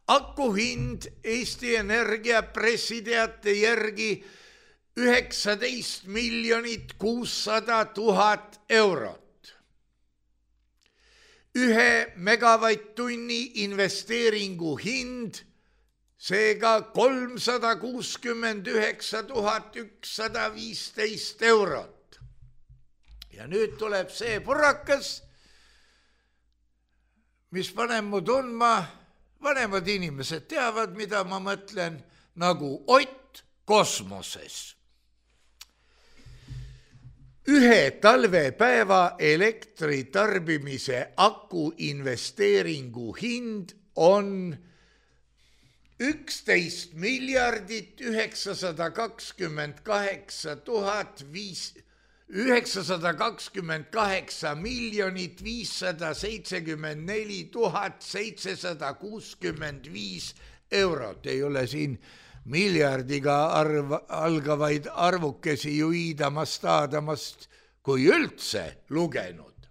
Speaker 3: Aku hind Eesti Energia pressiteate järgi 19 600 000 eurot. 1 megavatt-tunni investeeringu hind, seega 369 115 eurot. Ja nüüd tuleb see purakas, mis paneb mu tundma, vanemad inimesed teavad, mida ma mõtlen, nagu Ott kosmoses. 1 talvepäeva elektritarbimise aku investeeringu hind on 11 928 574 765 eurot. Ei ole siin miljardiga algavaid arvukesi ju iidamast, aadamast, kui üldse lugenud.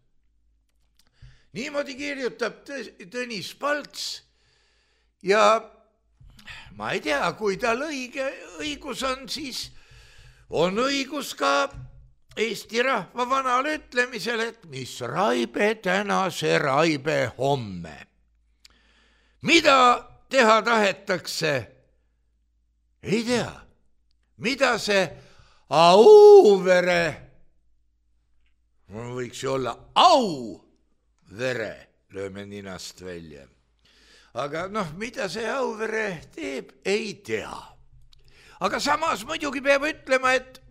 Speaker 3: Niimoodi kirjutab Tõnis Palts ja ma ei tea, kui tal õigus on, siis on õigus ka Eesti rahva vanal ütlemisel, et mis raibe täna, see raibe homme. Mida teha tahetakse? Ei tea. Mida see Auvere, võiks ju olla Auvere, lööme ninast välja. Aga mida see Auvere teeb, ei tea. Aga samas muidugi peab ütlema, et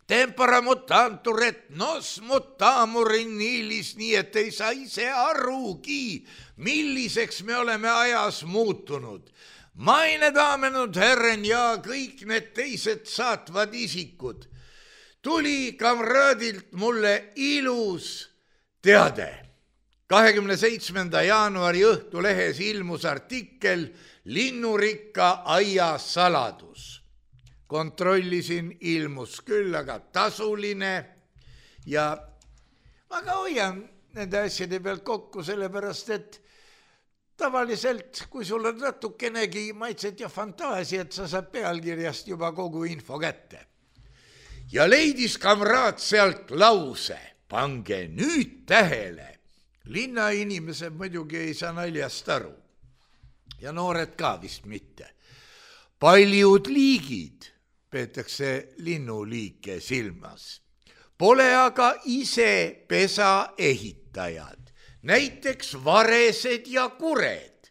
Speaker 3: tempora mutantur et nos mutamur in nilis, nii et ei saa ise arugi, milliseks me oleme ajas muutunud. Meine damen und Herren ja kõik need teised saatvad isikud. Tuli kamraadilt mulle ilus teade. 27. jaanuari Õhtulehes ilmus artikkel Linnurikka aia saladus. Kontrollisin, ilmus küll, aga tasuline ja ma ka hoian nende asjade pealt kokku, sellepärast et tavaliselt, kui sul on natukenegi maitset ja fantaasiat, sa saad pealkirjast juba kogu info kätte. Ja leidis kamraad sealt lause, pange nüüd tähele. Linnainimesed muidugi ei saa naljast aru ja noored ka vist mitte. Paljud liigid peetakse linnuliike silmas. Pole aga ise pesa ehitajad, näiteks varesed ja kured,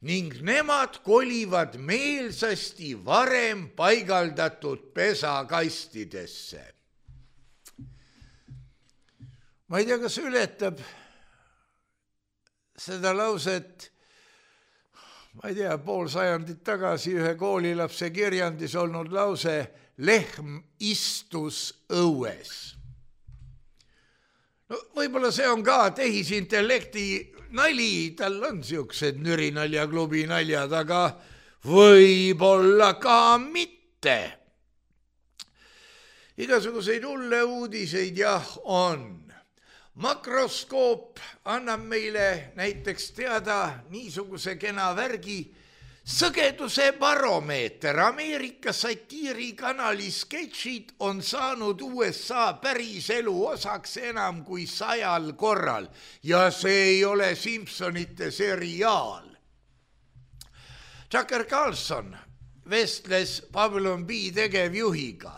Speaker 3: ning nemad kolivad meelsasti varem paigaldatud pesakastidesse. Ma ei tea, kas ületab seda lauset, ma ei tea, pool sajandit tagasi ühe koolilapse kirjandis olnud lause lehm istus õues. No, võib-olla see on ka tehisintellekti nali, tal on siuksed Nürinaljaklubi naljad, aga võib-olla ka mitte. Igasuguseid hulle uudiseid jah on. Makroskoop annab meile näiteks teada niisuguse kena värgi sõgeduse baromeeter. Ameerika satiirikanali sketšid on saanud USA päriselu osaks enam kui 100 korral ja see ei ole Simpsonite seriaal. Tucker Carlson vestles Babylon B tegevjuhiga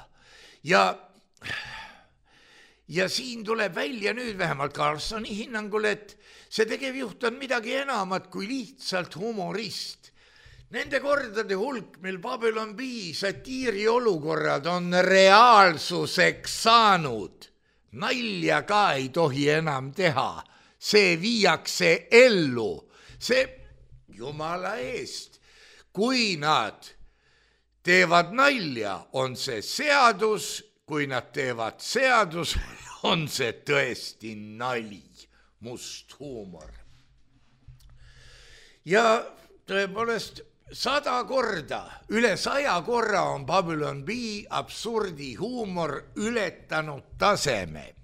Speaker 3: ja siin tuleb välja nüüd vähemalt Carlsoni hinnangul, et see tegevjuht on midagi enamat kui lihtsalt humorist. Nende kordade hulk, mil Babylon B satiiri olukorrad on reaalsuseks saanud. Nalja ka ei tohi enam teha. See viiakse ellu. See jumala eest. Kui nad teevad nalja, on see seadus. Kui nad teevad seadus, on see tõesti nali, must huumor. Ja tõepoolest 100 korda, üle 100 korra on Babylon B absurdi huumor ületanud taseme.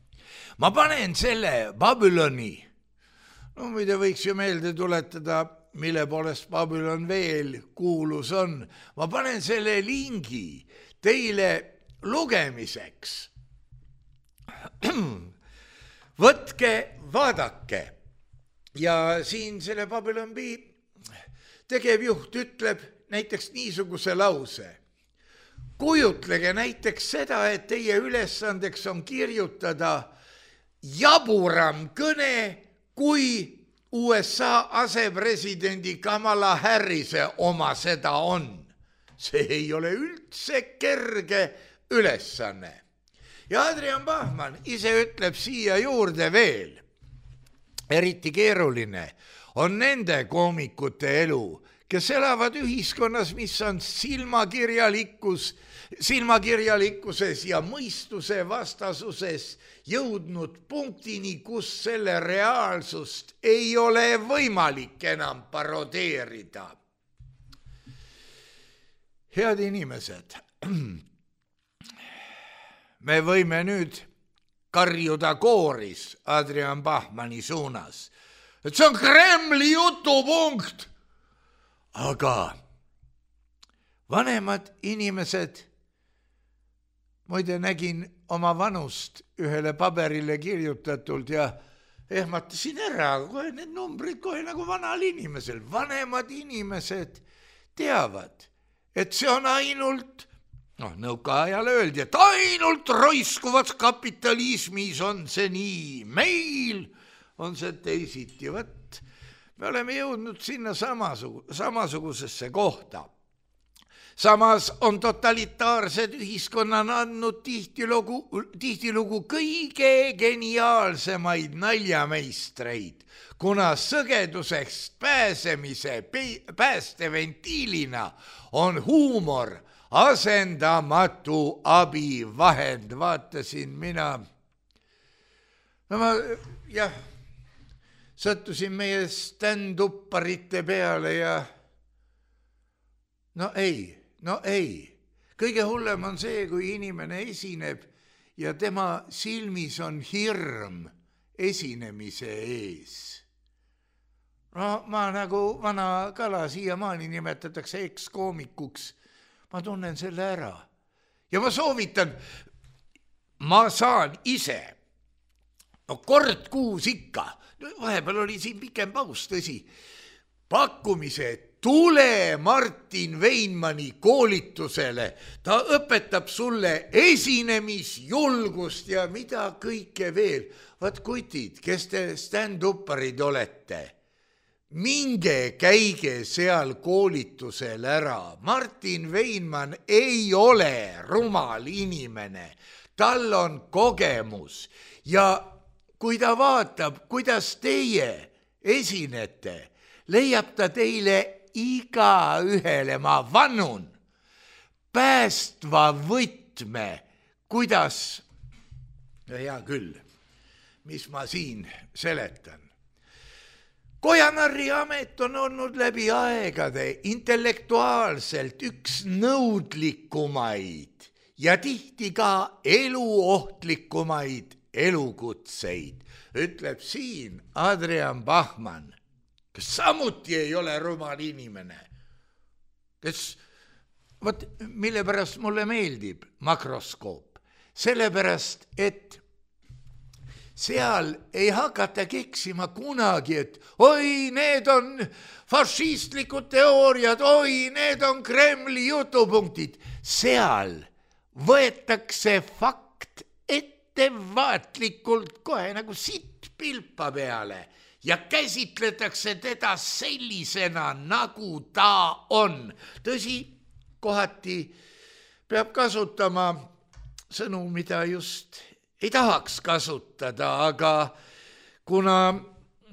Speaker 3: Ma panen selle Babyloni, no muide võiks ju meelde tuletada, mille poolest Babylon veel kuulus on. Ma panen selle lingi teile lugemiseks. Võtke, vaadake. Ja siin selle Babylon B tegevjuht ütleb näiteks niisuguse lause. Kujutlege näiteks seda, et teie ülesandeks on kirjutada jaburam kõne, kui USA asepresidendi Kamala Harrise oma seda on. See ei ole üldse kerge ülesanne. Ja Adrian Bachmann ise ütleb siia juurde veel. Eriti keeruline on nende koomikute elu, kes elavad ühiskonnas, mis on silmakirjalikkuses ja mõistuse vastasuses jõudnud punktini, kus selle reaalsust ei ole võimalik enam parodeerida. Head inimesed, me võime nüüd karjuda kooris Adrian Bachmanni suunas, et see on Kremli jutupunkt. Aga vanemad inimesed, muide nägin oma vanust ühele paberile kirjutatult ja ehmatasin ära, kohe need numbrid kohe nagu vanal inimesel. Vanemad inimesed teavad, et see on ainult, nõukaajal öeldi, et ainult roiskuvas kapitalismis on see nii, meil on see teisiti. Võt, me oleme jõudnud sinna samasugusesse kohta. Samas on totalitaarsed ühiskonnad andnud tihtilugu kõige geniaalsemaid naljameistreid, kuna sõgeduseks pääsemise päästeventiilina on huumor asendamatu abivahend. Vaatasin mina, sattusin meie stand-upparite peale ja no ei. Kõige hullem on see, kui inimene esineb ja tema silmis on hirm esinemise ees. No ma nagu vana kala siiamaani nimetatakse ekskoomikuks. Ma tunnen selle ära. Ja ma soovitan, ma saan ise, no kord kuus ikka, vahepeal oli siin pikem paus, tõsi, pakkumise tule Martin Veinmani koolitusele. Ta õpetab sulle esinemisjulgust ja mida kõike veel. Vaat kutid, kes te stand-upparid olete, minge käige seal koolitusel ära. Martin Veinman ei ole rumal inimene. Tal on kogemus ja kui ta vaatab, kuidas teie esinete, leiab ta teile iga ühele, ma vannun, päästva võtme, kuidas, hea küll, mis ma siin seletan. Kojanarri amet on olnud läbi aegade intellektuaalselt üks nõudlikumaid ja tihti ka eluohtlikumaid elukutseid, ütleb siin Adrian Bachmann, kes samuti ei ole rumal inimene, kes, vot mille pärast mulle meeldib makroskoop, sellepärast, et seal ei hakata keksima kunagi, et oi, need on fašistlikud teooriad, oi, need on Kremli jutupunktid. Seal võetakse fakt ettevaatlikult kohe nagu sitt pilpa peale ja käsitletakse teda sellisena, nagu ta on. Tõsi, kohati peab kasutama sõnu, mida just ei tahaks kasutada, aga kuna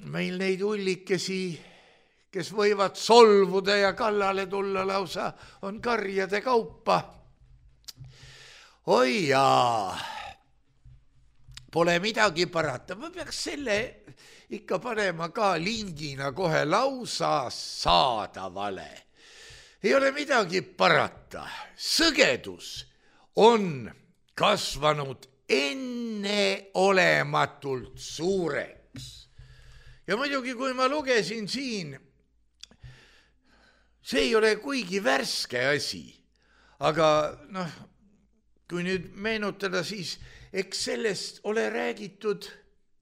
Speaker 3: meil neid ullikesi, kes võivad solvuda ja kallale tulla lausa, on karjade kaupa. Oi jaa, pole midagi parata. Ma peaks selle ikka panema ka lingina kohe lausa saadavale. Ei ole midagi parata. Sõgedus on kasvanud enneolematult suureks. Ja muidugi, kui ma lugesin siin, see ei ole kuigi värske asi, aga kui nüüd meenutada, siis eks sellest ole räägitud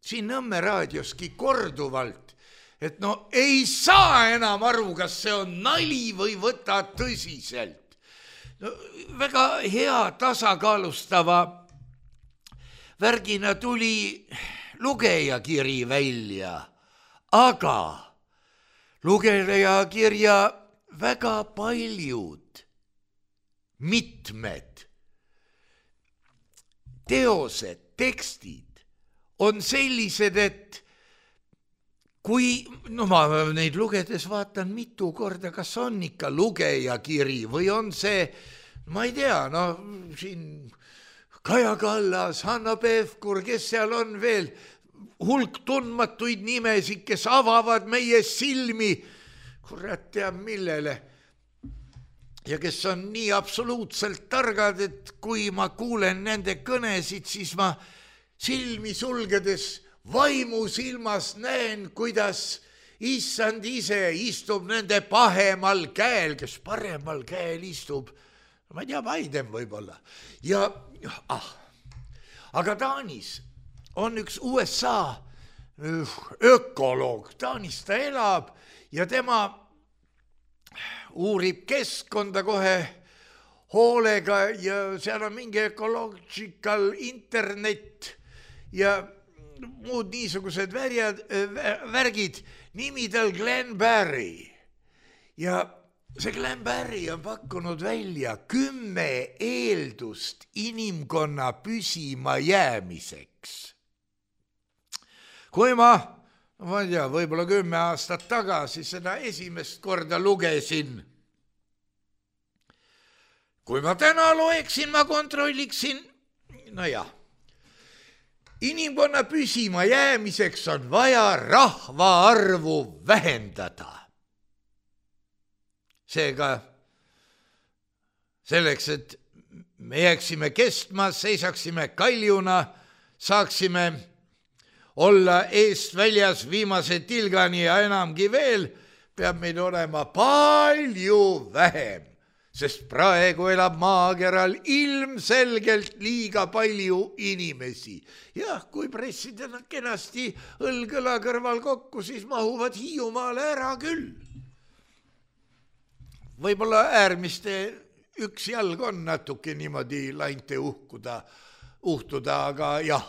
Speaker 3: siin Nõmme raadioski korduvalt, et ei saa enam aru, kas see on nali või võta tõsiselt. Väga hea tasakaalustava värgina tuli lugejakiri välja, aga lugejakirja väga paljud, mitmed teosed, tekstid on sellised, et kui, ma neid lugedes vaatan mitu korda, kas on ikka lugejakiri või on see, ma ei tea, siin Kaja Kallas, Hanno Pevkur, kes seal on veel, hulk tundmatuid nimesid, kes avavad meie silmi, kurat teab millele. Ja kes on nii absoluutselt targad, et kui ma kuulen nende kõnesid, siis ma silmi sulgedes vaimusilmas näen, kuidas issand ise istub nende pahemal käel, kes paremal käel istub, ma ei tea, Biden võib-olla. Ja aga Taanis on üks USA ökoloog, Taanis ta elab ja tema uurib keskkonda kohe hoolega ja seal on mingi ecological internet ja muud niisugused värgid, nimi tal Glenn Barry ja see Glenn Barry on pakkunud välja 10 eeldust inimkonna püsima jäämiseks. Kui ma ei tea, võib-olla 10 aastat tagasi seda esimest korda lugesin. Kui ma täna loeksin, ma kontrolliksin, inimkonna püsima jäämiseks on vaja rahvaarvu vähendada. Seega selleks, et me jääksime kestma, seisaksime kaljuna, saaksime olla eest väljas viimase tilgani ja enamgi veel, peab meid olema palju vähem, sest praegu elab maakeral ilmselgelt liiga palju inimesi. Jah, kui pressida nad kenasti õlg-õla kõrval kokku, siis mahuvad Hiiumaale ära küll. Võib-olla äärmiste üks jalg on natuke niimoodi lainte uhtuda, aga jah,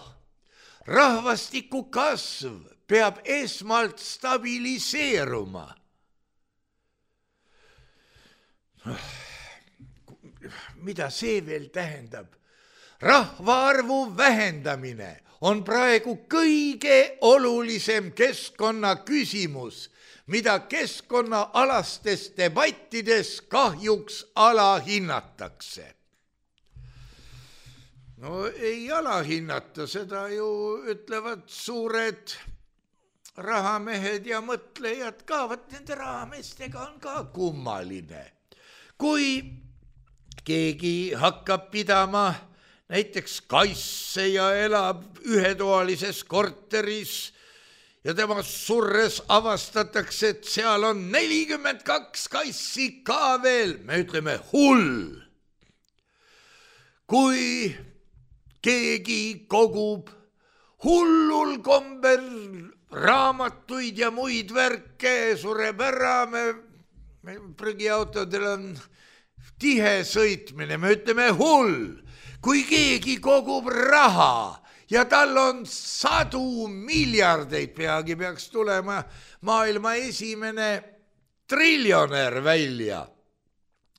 Speaker 3: rahvastiku kasv peab esmalt stabiliseeruma. Mida see veel tähendab? Rahvaarvu vähendamine on praegu kõige olulisem keskkonna küsimus, mida keskkonnaalastes debattides kahjuks alahinnatakse. No ei alahinnata, seda ju ütlevad suured rahamehed ja mõtlejad ka, vaat nende rahameestega on ka kummaline. Kui keegi hakkab pidama näiteks kasse ja elab ühetoalises korteris ja tema surres avastatakse, et seal on 42 kassi ka veel, me ütleme hull. Kui keegi kogub hullul kombel raamatuid ja muid värke, sureb ära, me prügiautodel on tihe sõitmine, me ütleme hull. Kui keegi kogub raha ja tal on 100 miljardeid, peagi peaks tulema maailma esimene triljonär välja,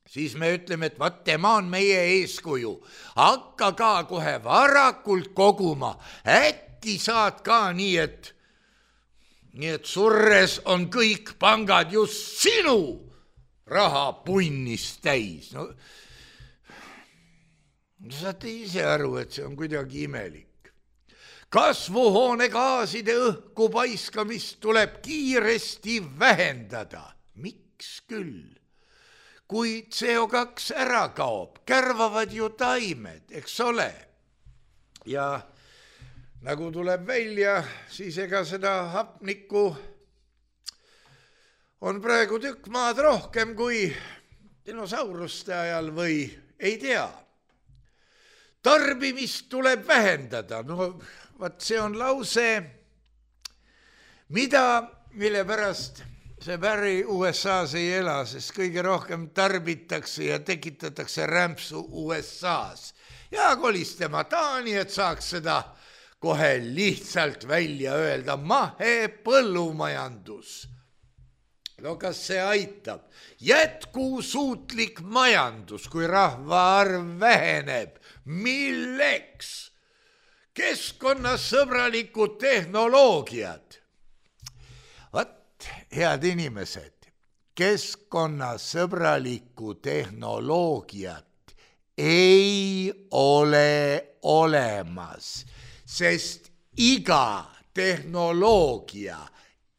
Speaker 3: siis me ütleme, et vaat tema on meie eeskuju. Hakka ka kohe varakult koguma, äkki saad ka nii, et surres on kõik pangad just sinu raha punnist täis. No, saate ise aru, et see on kuidagi imelik. Kasvuhoonegaaside õhku paiskamist tuleb kiiresti vähendada. Miks küll? Kui CO2 ära kaob, kärvavad ju taimed, eks ole. Ja nagu tuleb välja, siis ega seda hapnikku on praegu tükk maad rohkem kui dinosauruste ajal või ei tea. Tarbimist tuleb vähendada. No vaat see on lause, mille pärast see Barry USA-s ei ela, sest kõige rohkem tarbitakse ja tekitatakse rämpsu USA-s. Ja kolis tema Taani, et saaks seda kohe lihtsalt välja öelda. Mahe põllumajandus. No kas see aitab? Jätkusuutlik majandus, kui rahvaarv väheneb. Milleks? Keskkonnasõbralikud tehnoloogiad. Vaat, head inimesed, keskkonnasõbralikku tehnoloogiat ei ole olemas, sest iga tehnoloogia,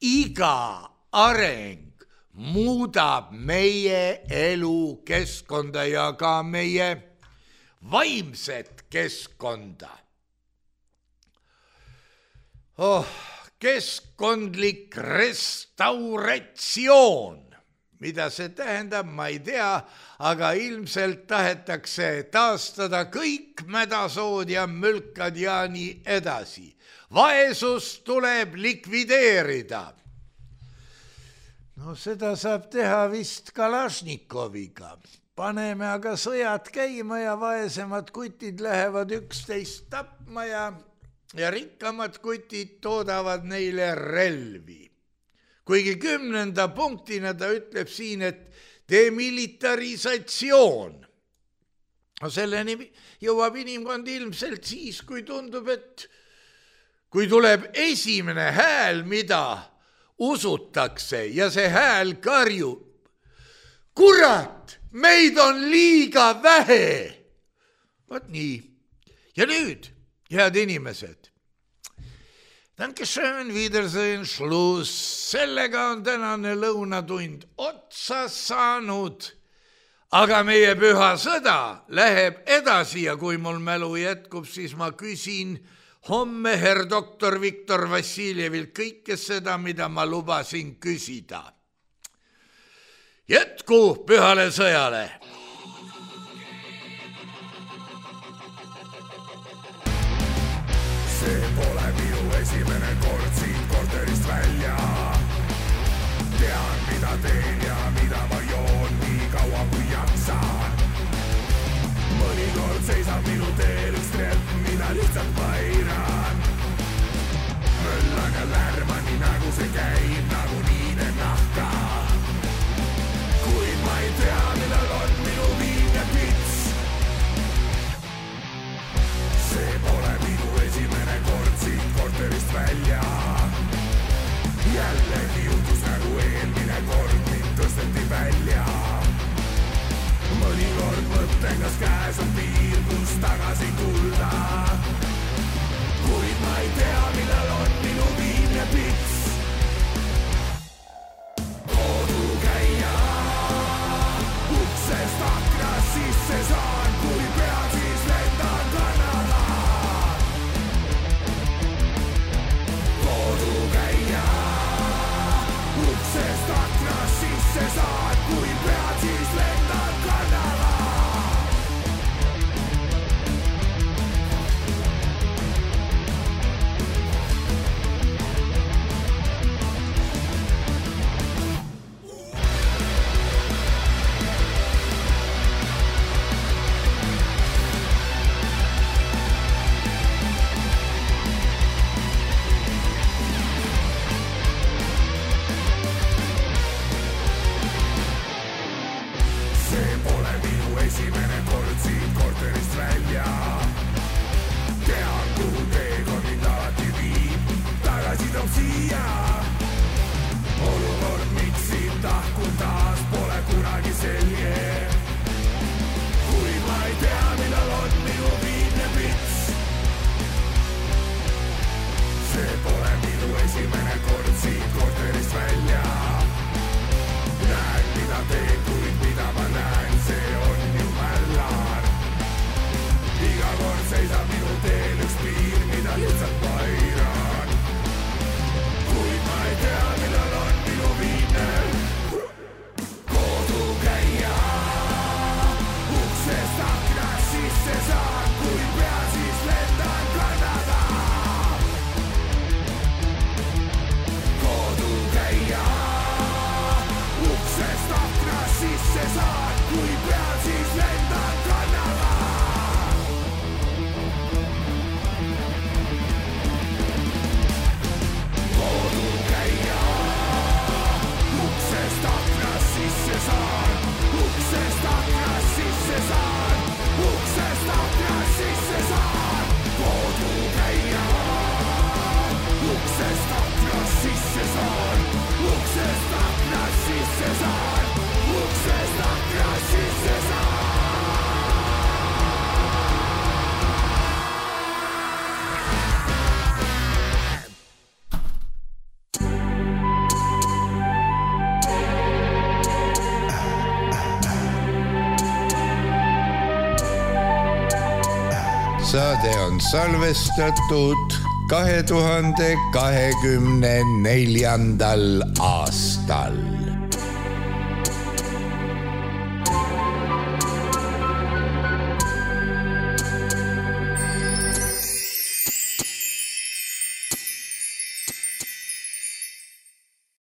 Speaker 3: iga areng muudab meie elu keskkonda ja ka meie vaimset keskkonda. Keskkondlik restauratsioon, mida see tähendab, ma ei tea, aga ilmselt tahetakse taastada kõik mädasood ja mülkad ja nii edasi. Vaesus tuleb likvideerida. No seda saab teha vist Kalašnikoviga. Paneme aga sõjad käima ja vaesemad kutid lähevad üksteist tapma ja rikkamad kutid toodavad neile relvi. Kuigi 10. punktina ta ütleb siin, et demilitarisatsioon. No selleni jõuab inimkond ilmselt siis, kui tundub, et kui tuleb esimene hääl, mida usutakse ja see hääl karjub. Kurat, meid on liiga vähe. Vaat nii. Ja nüüd, head inimesed, Dankeschön, Wiedersehen, Schluss. Sellega on tänane lõunatund otsa saanud. Aga meie püha sõda läheb edasi ja kui mul mälu jätkub, siis ma küsin homme herr doktor Viktor Vassiljevilt kõike seda, mida ma lubasin küsida. Jätku pühale sõjale!
Speaker 2: See pole minu esimene kord siit korterist välja. Tean, mida teen ja mida ma joon nii kaua kui jaksan. Mõnikord seisab minu teel üks trepp, mida lihtsalt ma eiran. Möllan ja lärman nii nagu see käib, nagu niine nahka. Kuid ma ei tea, millal on minu viimne pits. See pole minu esimene kord siit korterist välja. Jällegi juhtus nagu eelmine kord, mind tõsteti välja. Mõnikord mõtlen, kas käes on piir, kus tagasi tulla. Kuid ma ei tea, millal on minu viimne pits. Kodukäija, uksest aknas sisse saan, kui pead siis lendan Kanada. Kodukäija, uksest aknas sisse saan, kui pead siis lendan Kanada. Esimene kord siit korterist välja. Tean, kuhu teekond mind alati viib, tagasi toob siia. Olukord, miks siit tahkun taas, pole kunagi selge. Kuid ma ei tea, millal on minu viimne pits. See pole minu esimene kord siit korterist välja. Näen, mida teen, kuid mida ma näen, see on ju mällar. Iga kord seisab minu teel üks piir, mida lihtsalt ma eiran. Kuid ma ei tea, millal on minu viimne kodukäija. Uksest aknas sisse saan, kui pean siis lendan Kanada. Kodukäija, uksest aknas sisse saan, kui pean siis lendan Kanada. Kodukäija, uksest aknas sisse saan, uksest aknas sisse saan, uksest aknas sisse saan. Kodukäija, uksest aknas sisse saan, uksest aknas sisse saan, uksest aknas sisse saan.
Speaker 3: Saade on salvestatud 2024. aastal.